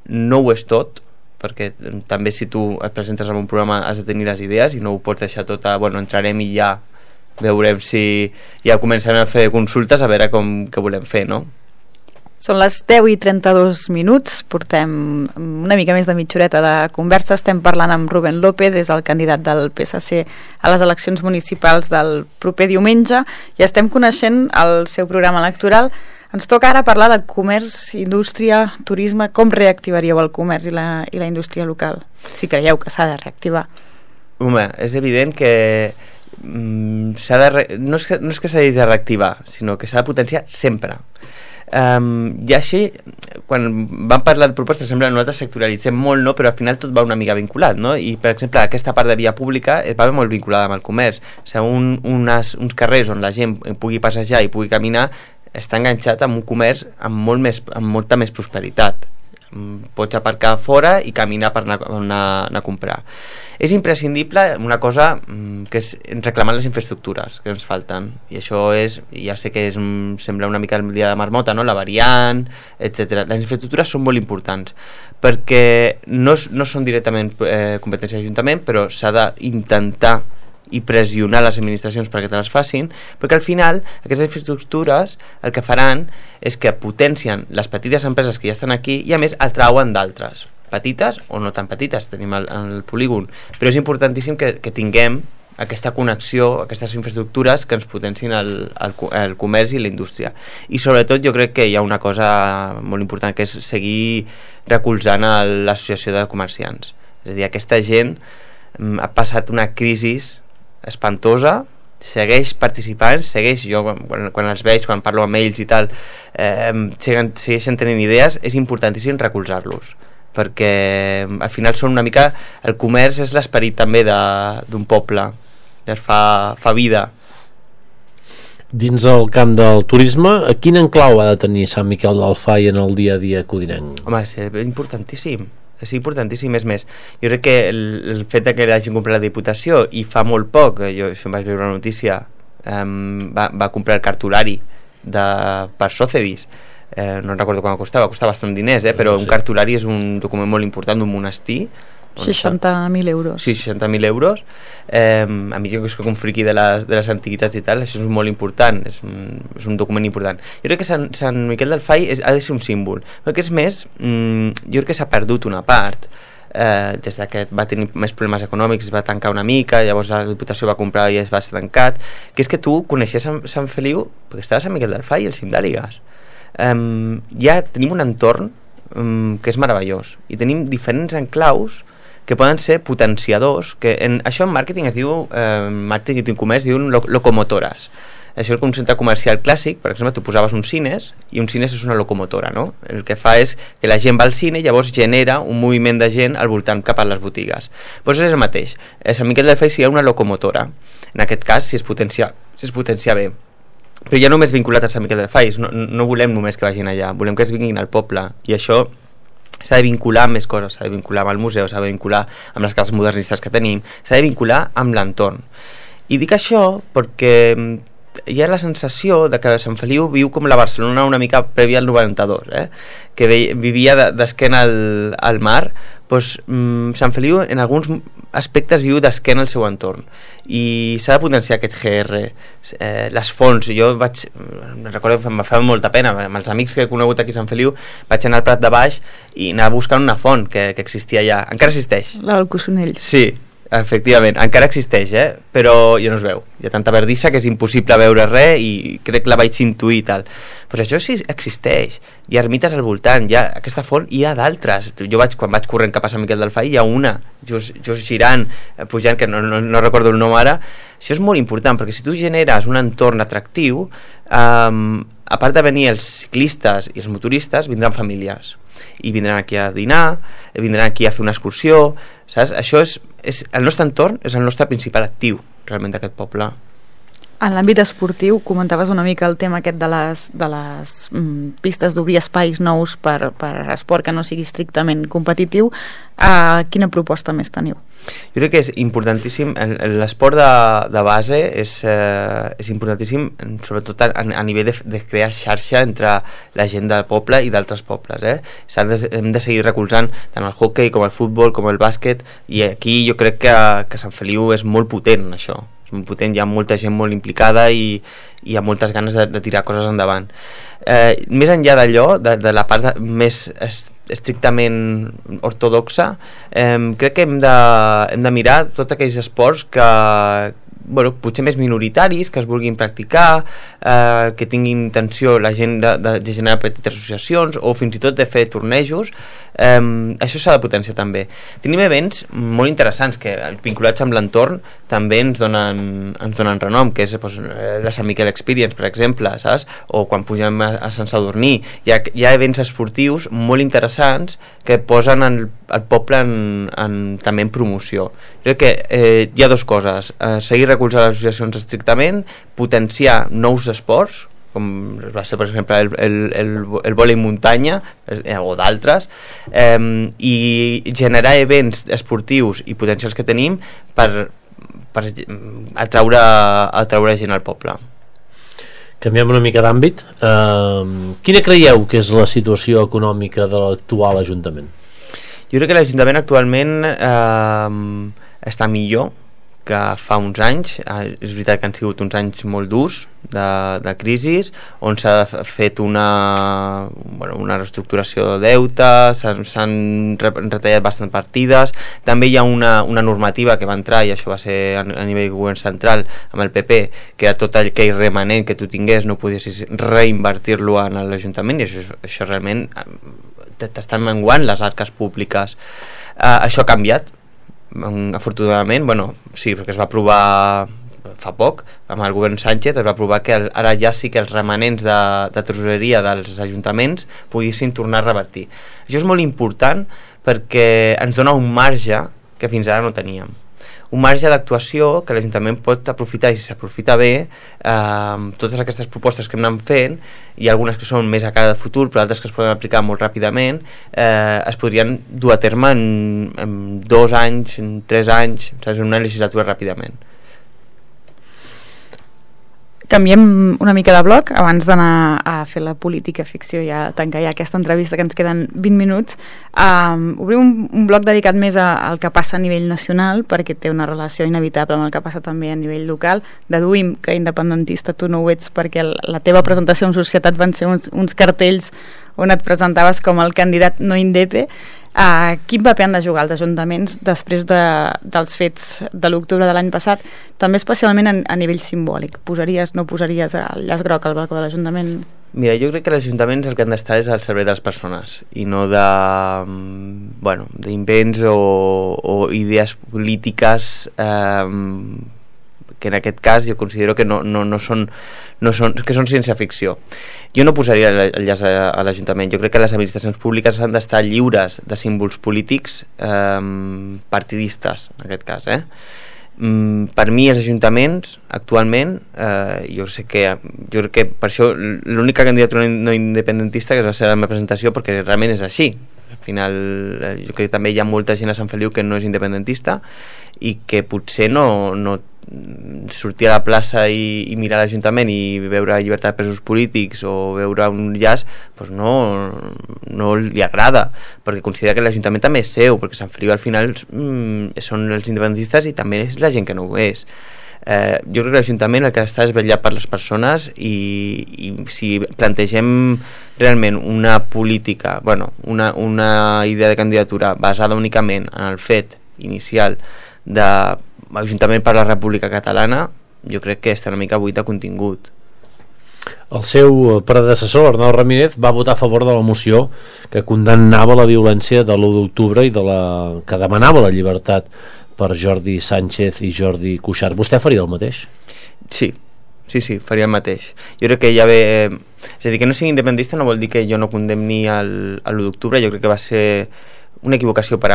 no ho és tot, perquè també si tu et presentes en un programa has de tenir les idees i no ho pots deixar tot entrarem i ja veurem si ja comencem a fer consultes a veure què volem fer, no? Són les 10:32, portem una mica més de mitja horeta de conversa. Estem parlant amb Rubén López, és el candidat del PSC a les eleccions municipals del proper diumenge, i estem coneixent el seu programa electoral. Ens toca ara parlar de comerç, indústria, turisme. Com reactivaríeu el comerç i la indústria local? Si creieu que s'ha de reactivar. Home, és evident que no és que s'ha de reactivar, sinó que s'ha de potenciar sempre. I així, quan vam parlar de propostes, sembla que nosaltres sectorialitzem molt, no? Però al final tot va una mica vinculat, no? I per exemple aquesta part de via pública va molt vinculada amb el comerç. O sigui, uns carrers on la gent pugui passejar i pugui caminar està enganxat amb un comerç amb molta més prosperitat. Pots aparcar fora i caminar per anar a comprar. És imprescindible una cosa que és reclamar les infraestructures que ens falten, i això ja sé que sembla una mica el dia de marmota, no? La variant, etc. Les infraestructures són molt importants perquè no són directament competència de l'Ajuntament, però s'ha d'intentar i pressionar les administracions perquè te les facin, perquè al final aquestes infraestructures el que faran és que potencien les petites empreses que ja estan aquí i a més atrauen d'altres, petites o no tan petites, tenim el polígon, però és importantíssim que tinguem aquesta connexió, aquestes infraestructures que ens potencin el comerç i la indústria. I sobretot jo crec que hi ha una cosa molt important, que és seguir recolzant l'associació de comerciants. És a dir, aquesta gent ha passat una crisi espantosa, segueix participant, jo quan els veig, quan parlo amb ells i tal, segueixen tenint idees. És importantíssim recolzar-los, perquè al final són una mica, el comerç és l'esperit també d'un poble, fa vida. Dins el camp del turisme, quin enclau ha de tenir Sant Miquel del Fai en el dia a dia codinenc? Home, és importantíssim. és importantíssim. És més, jo crec que el fet que l'hagin comprat la Diputació i fa molt poc, jo em vaig veure una notícia, va comprar el cartulari per Sotheby's, no recordo quan costava bastant diners, però un cartulari és un document molt important d'un monestir. 60.000 euros. Sí, 60.000 euros. A mi, jo que soc un friqui de les antiguitats i tal, això és molt important, és un document important. Jo crec que Sant Miquel del Fai ha de ser un símbol, perquè és més, jo crec que s'ha perdut una part, des que va tenir més problemes econòmics, es va tancar una mica, llavors la Diputació va comprar i es va ser tancat, que és que tu coneixies Sant Feliu perquè estava a Sant Miquel del Fai i el cim d'Àligues. Ja tenim un entorn que és meravellós i tenim diferents enclaus que poden ser potenciadors, que això en màrqueting es diu, màrqueting i comerç diuen locomotores. Això és un centre comercial clàssic, per exemple, tu posaves un cines i un cines és una locomotora, no? El que fa és que la gent va al cine i llavors genera un moviment de gent al voltant cap a les botigues. Doncs és el mateix. Sant Miquel del Fai seria una locomotora. En aquest cas, si es potencia bé. Però ja només vinculat a Sant Miquel del Fai, no volem només que vagin allà, volem que es vinguin al poble, i això s'ha de vincular amb més coses, s'ha de vincular amb el museu, s'ha de vincular amb les cases modernistes que tenim, s'ha de vincular amb l'entorn. I dic això perquè hi ha la sensació de que Sant Feliu viu com la Barcelona una mica prèvia al 92, que vivia d'esquena al mar. Doncs Sant Feliu en alguns aspectes viu d'esquena al seu entorn i s'ha de potenciar aquest GR, les fonts. Jo recordo que em va fer molta pena amb els amics que he conegut aquí a Sant Feliu, vaig anar al Prat de Baix i anar buscant una font que existia allà, encara existeix, la del Cossonell. Sí, efectivament, encara existeix, però ja no es veu, hi ha tanta verdissa que és impossible veure res i crec que la vaig intuir i tal. Doncs això sí existeix, hi ha ermites al voltant, hi ha aquesta font i hi ha d'altres. Jo quan vaig corrent cap a Sant Miquel del Fai hi ha una, just girant, pujant, que no recordo el nom ara. Això és molt important, perquè si tu generes un entorn atractiu, a part de venir els ciclistes i els motoristes, vindran famílies i vindran aquí a dinar, vindran aquí a fer una excursió, saps? Això és el nostre entorn, és el nostre principal actiu realment d'aquest poble. En l'àmbit esportiu, comentaves una mica el tema aquest de les pistes d'obrir espais nous per esport que no sigui estrictament competitiu. Quina proposta més teniu? Jo crec que és importantíssim, l'esport de base és importantíssim, sobretot a nivell de crear xarxa entre la gent del poble i d'altres pobles. Hem de seguir recolzant tant el hoquei com el futbol com el bàsquet, i aquí jo crec que Sant Feliu és molt potent en això. Molt potent, hi ha molta gent molt implicada i hi ha moltes ganes de tirar coses endavant. Més enllà d'allò, de la part més estrictament ortodoxa, crec que hem de mirar tots aquells esports que potser més minoritaris, que es vulguin practicar, que tinguin intenció la gent de generar petites associacions o fins i tot de fer tornejos. Això s'ha de potenciar també. Tenim events molt interessants que, vinculats amb l'entorn, també ens donen renom, que és la Sant Miquel Experience, per exemple, saps? O quan pugem a Sant Sadurní hi ha events esportius molt interessants que posen el poble també en promoció. Crec que hi ha dues coses: seguir recolzant les associacions estrictament, potenciar nous esports, com va ser per exemple el vòlei muntanya o d'altres, i generar events esportius i potencials que tenim per atraure gent al poble. Canviem una mica d'àmbit. Quina creieu que és la situació econòmica de l'actual Ajuntament? Jo crec que l'Ajuntament actualment està millor que fa uns anys. És veritat que han sigut uns anys molt durs de crisi, on s'ha fet una reestructuració de deute, s'han retallat bastant partides. També hi ha una normativa que va entrar, i això va ser a nivell govern central amb el PP, que era tot aquell remanent que tu tingués no podies reinvertir-lo en l'Ajuntament, i això realment t'estan menguant les arques públiques. Això ha canviat, afortunadament, sí, perquè es va aprovar fa poc, amb el govern Sánchez es va aprovar que ara ja sí que els remanents de tresoreria dels ajuntaments poguessin tornar a revertir. Això és molt important perquè ens dona un marge que fins ara no teníem. un marge d'actuació que l'Ajuntament pot aprofitar, i si s'aprofita bé, totes aquestes propostes que hem anat fent, i algunes que són més a cara de futur, però altres que es poden aplicar molt ràpidament, es podrien dur a terme en 2 anys, en 3 anys, saps, en una legislatura ràpidament. Canviem una mica de bloc abans d'anar a fer la política ficció i a tancar ja aquesta entrevista, que ens queden 20 minuts. Obrim un bloc dedicat més al que passa a nivell nacional, perquè té una relació inevitable amb el que passa també a nivell local. Deduïm que independentista tu no ho ets, perquè la teva presentació en Societat van ser uns cartells on et presentaves com el candidat no indepe. Quin paper han de jugar els ajuntaments després dels fets de l'octubre de l'any passat, també especialment a nivell simbòlic? No posaries el llaç groc al balcó de l'Ajuntament? Mira, jo crec que els ajuntaments el que han d'estar és al servei de les persones i no d'invents o idees polítiques que en aquest cas jo considero que no són que són ciència-ficció. Jo no posaria el llaç a l'Ajuntament. Jo crec que les administracions públiques han d'estar lliures de símbols polítics partidistes, en aquest cas. Per mi els ajuntaments actualment jo crec que per això l'única candidatura no independentista que va ser la meva presentació, perquè realment és així. Al final jo crec que també hi ha molta gent a Sant Feliu que no és independentista i que potser no sortir a la plaça i mirar l'Ajuntament i veure llibertat de presos polítics o veure un llaç, doncs no li agrada, perquè considera que l'Ajuntament també és seu, perquè Sant Feliu al final són els independentistes i també és la gent que no ho és. Jo crec que l'Ajuntament el que està és vetllar per les persones i si plantegem realment una política, una idea de candidatura basada únicament en el fet inicial de Ajuntament per la República Catalana, jo crec que està una mica buit de contingut. El seu predecessor, Arnau Ramírez, va votar a favor de la moció que condemnava la violència de l'1 d'octubre i que demanava la llibertat per Jordi Sánchez i Jordi Cuixart. Vostè faria el mateix? Sí, faria el mateix. Jo crec que ja ve... És a dir, que no sigui independentista no vol dir que jo no condemni l'1 d'octubre. Jo crec que va ser una equivocació per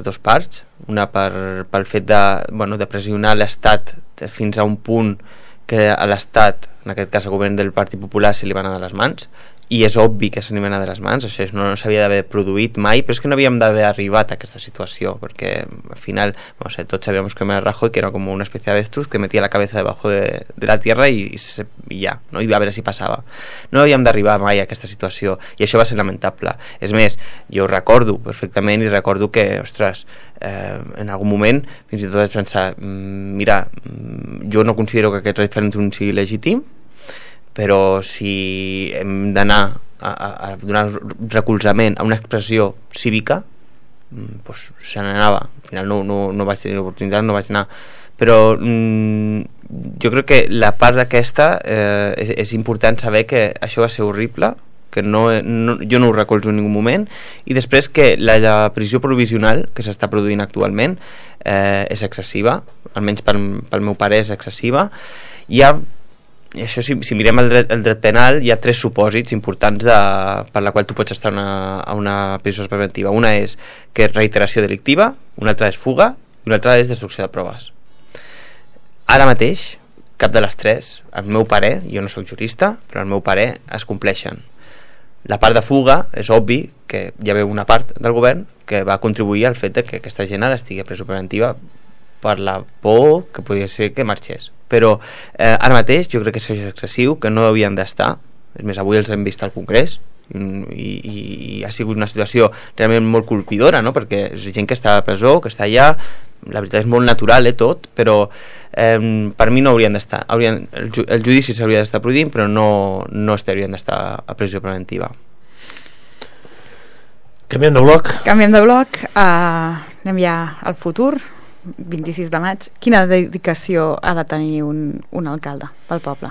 dos parts, una pel fet de pressionar l'Estat fins a un punt que a l'Estat, en aquest cas el govern del Partit Popular, se li va anar de les mans, i és obvi que se li va anar de les mans, això no s'havia d'haver produït mai, però és que no havíem d'haver arribat a aquesta situació, perquè al final tots sabíamos que era Rajoy, que era com una especie de avestruz que metia la cabeza debajo de la tierra i ja, no? I a veure si passava. No havíem d'arribar mai a aquesta situació i això va ser lamentable. És més, jo ho recordo perfectament i recordo que, ostres, en algun moment fins i tot vaig pensar, mira, jo no considero que aquest referèndum sigui legítim, però si hem d'anar a donar recolzament a una expressió cívica, doncs se n'anava. Al final no vaig tenir l'oportunitat, no vaig anar, però jo crec que la part d'aquesta és important saber que això va ser horrible, que jo no ho recolzo en ningú moment, i després que la prisió provisional que s'està produint actualment és excessiva, almenys pel meu pare és excessiva. Això, si mirem el dret penal, hi ha 3 supòsits importants per la qual tu pots estar a una presó preventiva. Una és que és reiteració delictiva, una altra és fuga i una altra és destrucció de proves. Ara mateix, cap de les 3, al meu parer, jo no soc jurista, però al meu parer es compleixen. La part de fuga és obvi que hi havia una part del govern que va contribuir al fet que aquesta gent ara estigui a presó preventiva per la por que podia ser que marxés. Però ara mateix jo crec que això és excessiu, que no havien d'estar. És més, avui els hem vist al Congrés i ha sigut una situació realment molt colpidora, no? Perquè és gent que està a la presó, que està allà, la veritat és molt natural tot, però per mi no haurien d'estar. El judici s'hauria d'estar produint, però no haurien d'estar a presó preventiva. Canviem de bloc. Anem ja al futur. 26 de maig, quina dedicació ha de tenir un alcalde pel poble?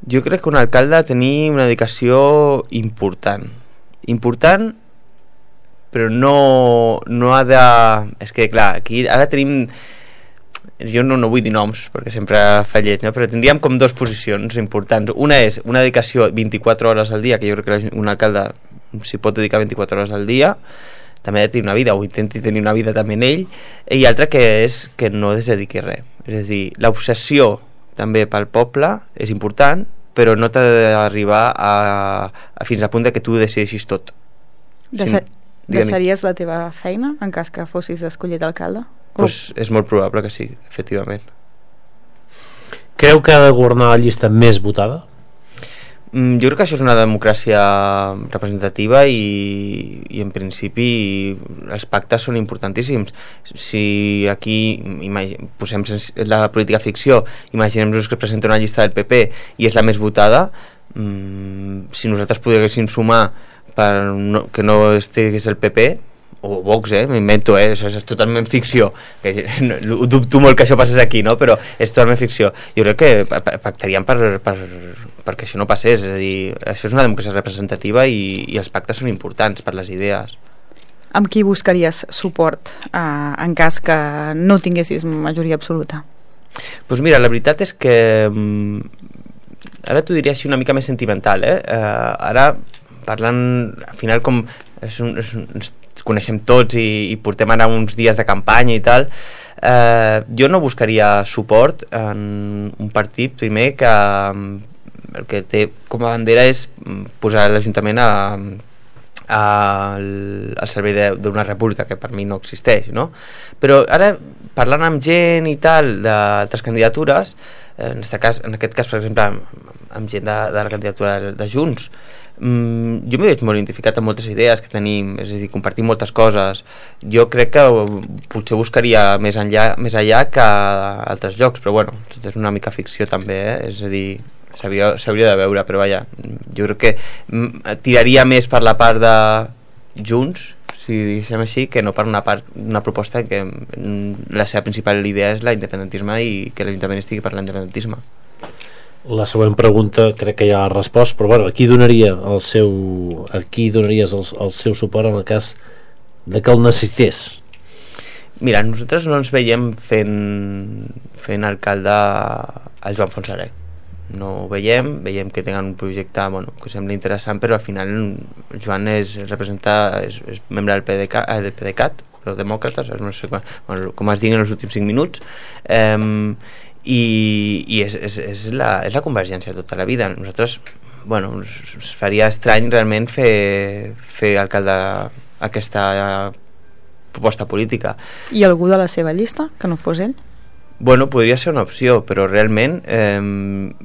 Jo crec que un alcalde ha de tenir una dedicació important, però no ha de... És que clar, aquí ara tenim... Jo no vull dir noms perquè sempre fa lleig, no? Però tindríem com 2 posicions importants. Una és una dedicació 24 hores al dia, que jo crec que un alcalde s'hi pot dedicar 24 hores al dia, també ha de tenir una vida, o intenti tenir una vida també en ell, i altra que és que no es dediqui a res. És a dir, l'obsessió també pel poble és important, però no t'ha d'arribar fins al punt de que tu ho decideixis tot. Deixaries la teva feina en cas que fossis escollit alcalde? Pues és molt probable que sí, efectivament. Creu que ha de governar la llista més votada? Jo crec que això és una democràcia representativa i en principi els pactes són importantíssims. Si aquí posem la política ficció, imaginem-nos que presenta una llista del PP i és la més votada, si nosaltres poguéssim sumar que no estigués el PP o Vox, m'invento, això és totalment ficció, ho dubto molt que això passés aquí, no? Però és totalment ficció. Jo crec que pactaríem perquè això no passés, és a dir, això és una democràcia representativa i els pactes són importants per les idees. Amb qui buscaries suport en cas que no tinguessis majoria absoluta? Doncs mira, la veritat és que ara t'ho diria així una mica més sentimental, ara parlant, al final com ens coneixem tots i portem ara uns dies de campanya i tal, jo no buscaria suport en un partit primer que el que té com a bandera és posar l'Ajuntament al servei d'una república que per mi no existeix, no? Però ara parlant amb gent i tal d'altres candidatures, en aquest cas per exemple amb gent de la candidatura de Junts, jo m'he veig molt identificat amb moltes idees que tenim, és a dir, compartim moltes coses. Jo crec que potser buscaria més allà que a altres llocs, però bueno, és una mica ficció també, és a dir, s'hauria de veure, però vaja, jo crec que tiraria més per la part de Junts, si diguéssim així, que no per una proposta que la seva principal idea és l'independentisme i que l'Ajuntament estigui per l'independentisme. La següent pregunta crec que ja l'ha respost, però bueno, a qui donaries el seu suport en el cas de que el necessités? Mira, nosaltres no ens veiem fent alcalde al Joan Fontserè. No ho veiem que tenen un projecte que sembla interessant, però al final el Joan és membre del PDeCAT, els demòcrates, no sé com es digui en els últims 5 minuts, i és la convergència tota la vida. Nosaltres, es faria estrany realment fer alcalde aquesta proposta política. I algú de la seva llista, que no fos ell? Podria ser una opció, però realment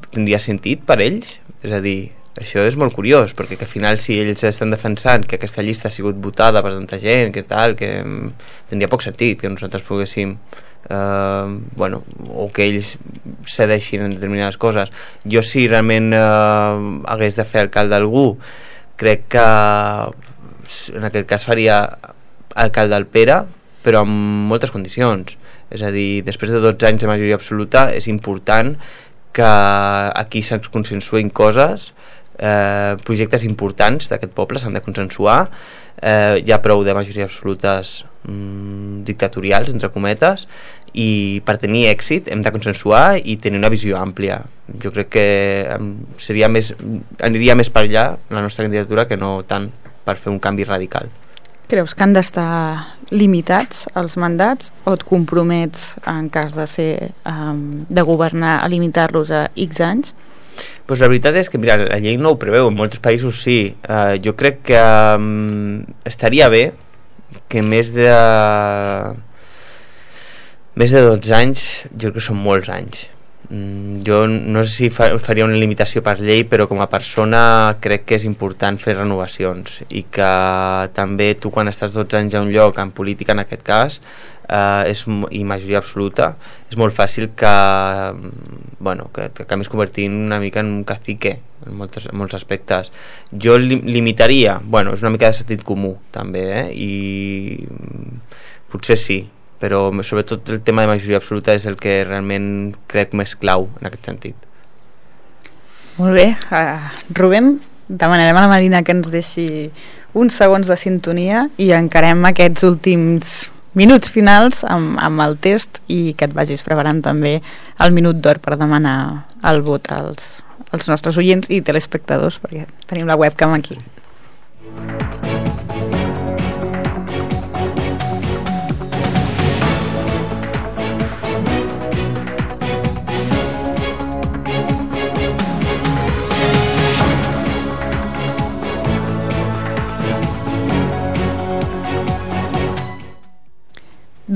tindria sentit per ells? És a dir, això és molt curiós, perquè que al final si ells estan defensant que aquesta llista ha sigut votada per tanta gent, que tindria poc sentit que nosaltres poguéssim o que ells cedeixin en determinades coses. Jo si realment hagués de fer alcalde algú, crec que en aquest cas faria alcalde al Pere, però amb moltes condicions. És a dir, després de 12 anys de majoria absoluta és important que aquí se'ns consensuïn coses, projectes importants d'aquest poble s'han de consensuar. Hi ha prou de majories absolutes dictatorials, entre cometes, i per tenir èxit hem de consensuar i tenir una visió àmplia. Jo crec que aniria més per allà la nostra candidatura que no tant per fer un canvi radical. Creus que han d'estar limitats els mandats o et compromets en cas de governar a limitar-los a X anys? Pues la veritat és que mira, la llei no ho preveu, en molts països sí. Jo crec que estaria bé que més de 12 anys, jo crec que són molts anys. Jo no sé si faria una limitació per llei, però com a persona crec que és important fer renovacions i que també tu quan estàs 12 anys a un lloc, en política en aquest cas, i majoria absoluta, és molt fàcil que t'acabis convertint una mica en un cacique en molts aspectes. Jo limitaria, és una mica de sentit comú també, i potser sí, però sobretot el tema de majoria absoluta és el que realment crec més clau en aquest sentit. Molt bé, Rubén, demanarem a la Marina que ens deixi uns segons de sintonia i encarem aquests últims minuts finals amb el test i que et vagis preparant també el minut d'or per demanar el vot als nostres oients i telespectadors, perquè tenim la webcam aquí.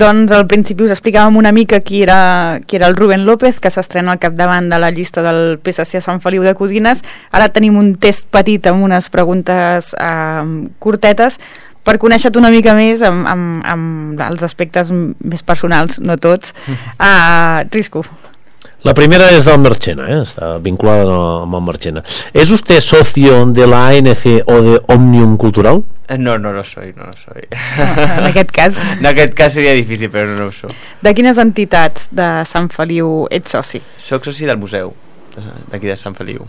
Doncs al principi us explicàvem una mica qui era el Rubén López, que s'estrena al capdavant de la llista del PSC a Sant Feliu de Codines. Ara tenim un test petit amb unes preguntes curtetes per conèixer-te una mica més amb els aspectes més personals, no tots. Risco. La primera es del Marchena, está vinculada amb el Marchena. ¿Es usted socio de la ANC o de Òmnium Cultural? No lo soy. En aquest cas. En aquest cas seria difícil, però no ho soc. De quines entitats de Sant Feliu ets soci? Soc soci del museu, d'aquí de Sant Feliu,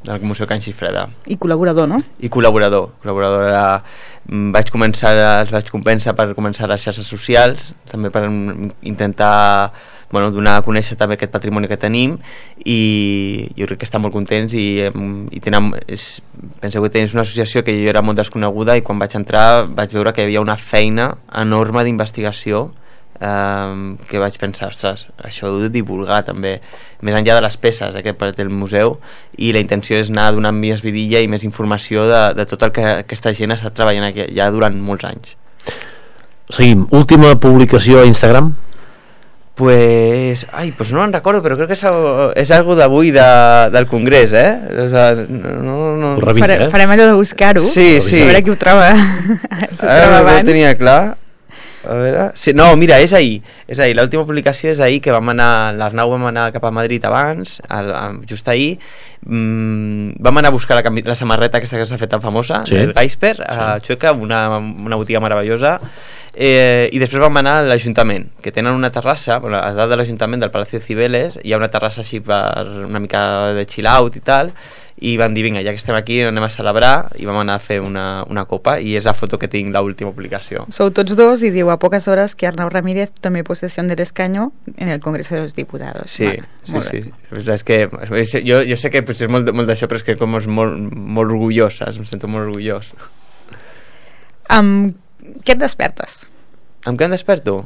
del Museu Can Xifreda. I col·laborador, no? I col·laborador. Els vaig convèncer per començar les xarxes socials, també per intentar donar a conèixer també aquest patrimoni que tenim, i jo crec que estan molt contents i penseu que tens una associació que jo era molt desconeguda, i quan vaig entrar vaig veure que hi havia una feina enorme d'investigació, que vaig pensar, ostres, això ho he de divulgar també, més enllà de les peces que té el museu, i la intenció és anar donant més vidilla i més informació de tot el que aquesta gent ha estat treballant aquí ja durant molts anys. Seguim, última publicació a Instagram? Pues no me'n recordo, però crec que és algo d'avui del Congrés, O sea, no... Ho revisa, Farem allò de buscar-ho. Sí. A veure qui ho troba. Ara no ho tenia clar. A veure... Sí, no, mira, és ahir. L'última publicació és ahir, que l'Arnau vam anar cap a Madrid abans, just ahir. Vam anar a buscar la samarreta aquesta que s'ha fet tan famosa, el Gaisper, a Chueca, una botiga meravellosa. I després vam anar a l'Ajuntament, que tenen una terrassa, a dalt de l'Ajuntament del Palacio de Cibeles hi ha una terrassa així per una mica de chill out i tal, i van dir, vinga, ja que estem aquí anem a celebrar, i vam anar a fer una copa, i és la foto que tinc, l'última publicació. Sou tots dos, i diu a poques hores que Arnau Ramírez tomé posesión del escaño en el Congreso de los Diputados. Sí. És que jo sé que potser és molt d'això, però és que com és molt orgullós, em sento molt orgullós. Què et despertes? Amb què em desperto?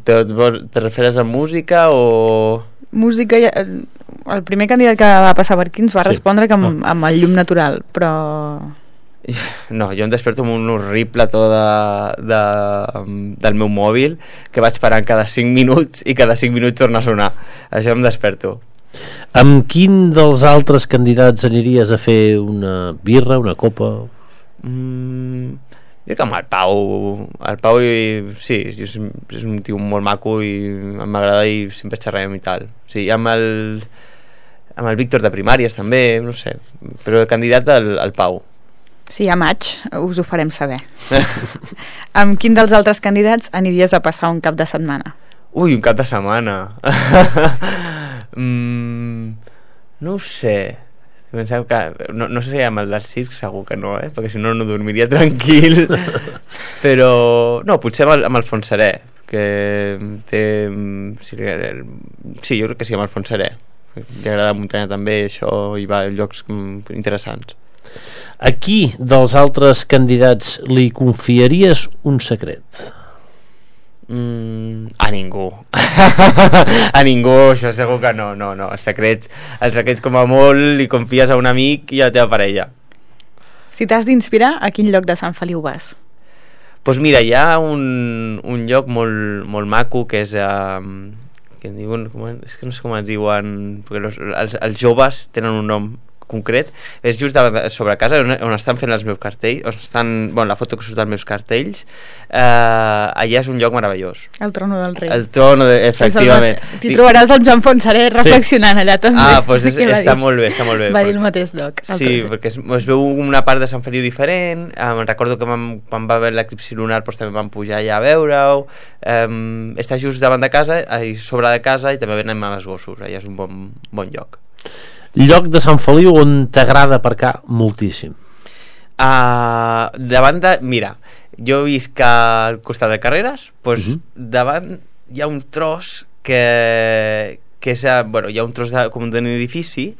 Te referes a música o...? Música, el primer candidat que va passar per aquí ens va respondre que amb el llum natural, però... No, jo em desperto amb un horrible to del meu mòbil, que vaig parant cada 5 minuts i cada 5 minuts torna a sonar. Això em desperto. Amb quin dels altres candidats aniries a fer una birra, una copa? Jo que amb el Pau sí, és un tio molt maco i m'agrada, i sempre xerrem i tal. Sí, amb el Víctor de primàries també, no sé, però el candidat al Pau. Sí, a maig us ho farem saber. Amb quin dels altres candidats aniries a passar un cap de setmana? Un cap de setmana. No ho sé. No sé si amb el del circ segur que no, perquè si no dormiria tranquil. Però no, potser amb el Fontserè, que té sí, jo crec que sí, amb el Fontserè, li agrada la muntanya també, això, i va a llocs interessants. A qui dels altres candidats li confiaries un secret? A ningú. A ningú, això segur que no. Els secrets com a molt li confies a un amic i a la teva parella. Si t'has d'inspirar, a quin lloc de Sant Feliu vas? Doncs mira, hi ha un lloc molt maco que és que en diuen, és que no sé com es diuen, perquè els joves tenen un nom concret, és just sobre casa on estan fent els meus cartells, on estan, la foto que surt dels meus cartells, allà és un lloc meravellós. El trono del rei. El trono, efectivament. T'hi trobaràs el Joan Fonseré reflexionant allà també. Doncs està molt bé. Va dir el mateix lloc. Sí, perquè es veu una part de Sant Feliu diferent. Recordo que quan va haver l'eclipsi lunar també vam pujar allà a veure-ho. Està just davant de casa, sobre de casa, i també anem amb els gossos. Allà és un bon lloc. Lloc de Sant Feliu on t'agrada aparcar moltíssim? Mira, jo visc al costat de Carreres, doncs davant hi ha un tros que és, hi ha un tros com d'un edifici,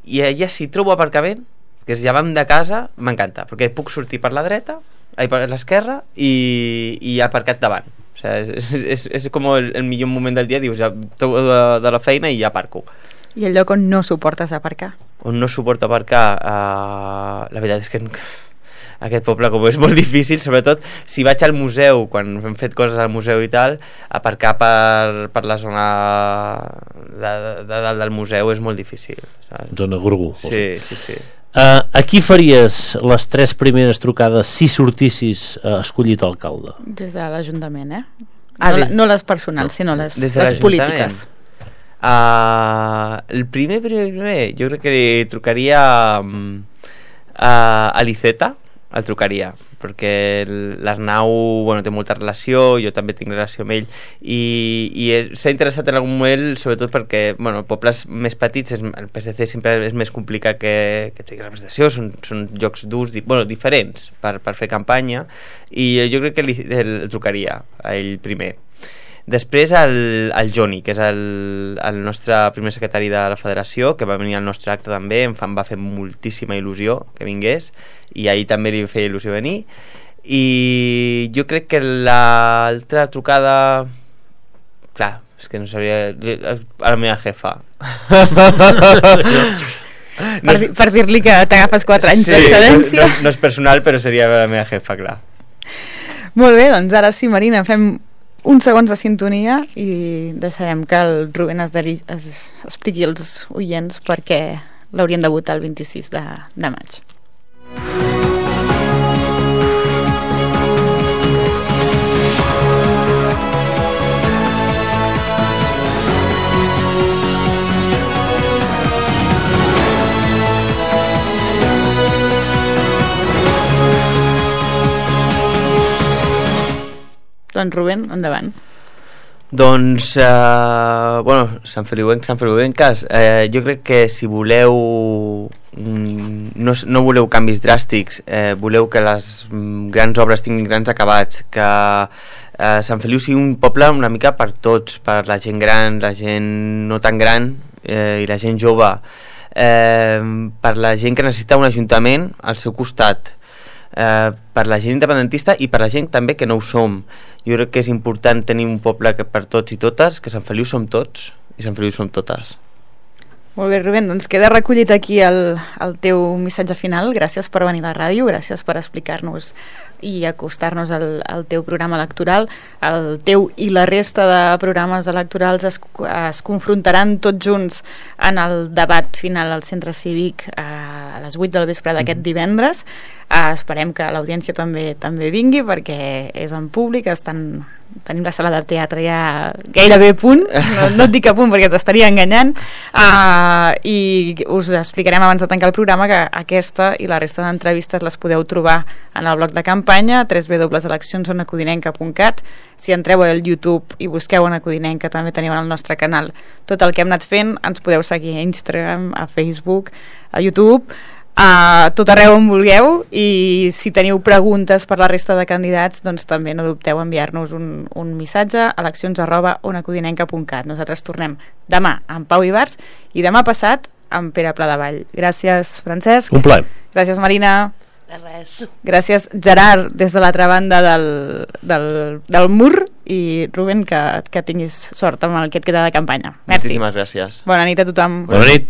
i allà si trobo aparcament, que és davant de casa, m'encanta, perquè puc sortir per la dreta, per l'esquerra, i aparcat davant. O sigui, és com el millor moment del dia, dius, ja trobo de la feina i ja aparco. I el lloc on no suportes aparcar? On no suporto aparcar, la veritat és que aquest poble, com és molt difícil, sobretot si vaig al museu, quan hem fet coses al museu i tal, aparcar per la zona de dalt del museu és molt difícil, saps? Zona Gorgú. Sí. A qui faries les 3 primeres trucades si sortissis escollit alcalde? Des de l'Ajuntament, no les personals, sinó les polítiques. El primer, jo crec que li trucaria a l'Iceta, el trucaria, perquè l'Arnau té molta relació, jo també tinc relació amb ell, i s'ha interessat en algun moment, sobretot perquè pobles més petits, el PSC sempre és més complicat que tingui representació, són llocs durs, diferents per fer campanya, i jo crec que el trucaria a ell primer. Després el Joni, que és el nostre primer secretari de la federació, que va venir al nostre acte també, em va fer moltíssima il·lusió que vingués, i ahir també li feia il·lusió venir. I jo crec que l'altra trucada, clar, és que no sabria, a la meva jefa. Per dir-li que t'agafes 4 anys d'excedència. No és personal, però seria la meva jefa, clar. Molt bé, doncs ara sí, Marina, fem uns segons de sintonia i deixarem que el Rubén es expliqui als oients perquè l'haurien de votar el 26 de maig. Doncs Rubén, endavant. Doncs, Sant Feliuenques, jo crec que si voleu, no voleu canvis dràstics, voleu que les grans obres tinguin grans acabats, que Sant Feliu sigui un poble una mica per tots, per la gent gran, la gent no tan gran i la gent jove, per la gent que necessita un ajuntament al seu costat, per la gent independentista i per la gent també que no ho som. Jo crec que és important tenir un poble que per tots i totes, que Sant Feliu som tots i Sant Feliu som totes. Molt bé, Rubén, doncs queda recollit aquí el teu missatge final. Gràcies per venir a la ràdio, gràcies per explicar-nos i acostar-nos al teu programa electoral. El teu i la resta de programes electorals es confrontaran tots junts en el debat final al Centre Cívic a les 8 del vespre d'aquest divendres. Esperem que l'audiència també vingui perquè és en públic, tenim la sala de teatre ja gairebé a punt, no et dic a punt perquè t'estaria enganyant, i us explicarem abans de tancar el programa que aquesta i la resta d'entrevistes les podeu trobar en el bloc de campanya www.eleccionsonaCodinenca.cat. Si entreu al YouTube i busqueu Ona Codinenca també teniu en el nostre canal tot el que hem anat fent. Ens podeu seguir a Instagram, a Facebook, a YouTube, a tot arreu on vulgueu, i si teniu preguntes per la resta de candidats doncs també no dubteu a enviar-nos un missatge a eleccions@onacodinenca.cat. Nosaltres tornem demà amb Pau Ibars i demà passat amb Pere Pladevall. Gràcies, Francesc. Un plaer. Gràcies, Marina. De res. Gràcies, Gerard, des de l'altra banda del mur, i Rubén, que tinguis sort amb el que et queda de campanya. Merci. Moltíssimes gràcies. Bona nit a tothom. Bona nit.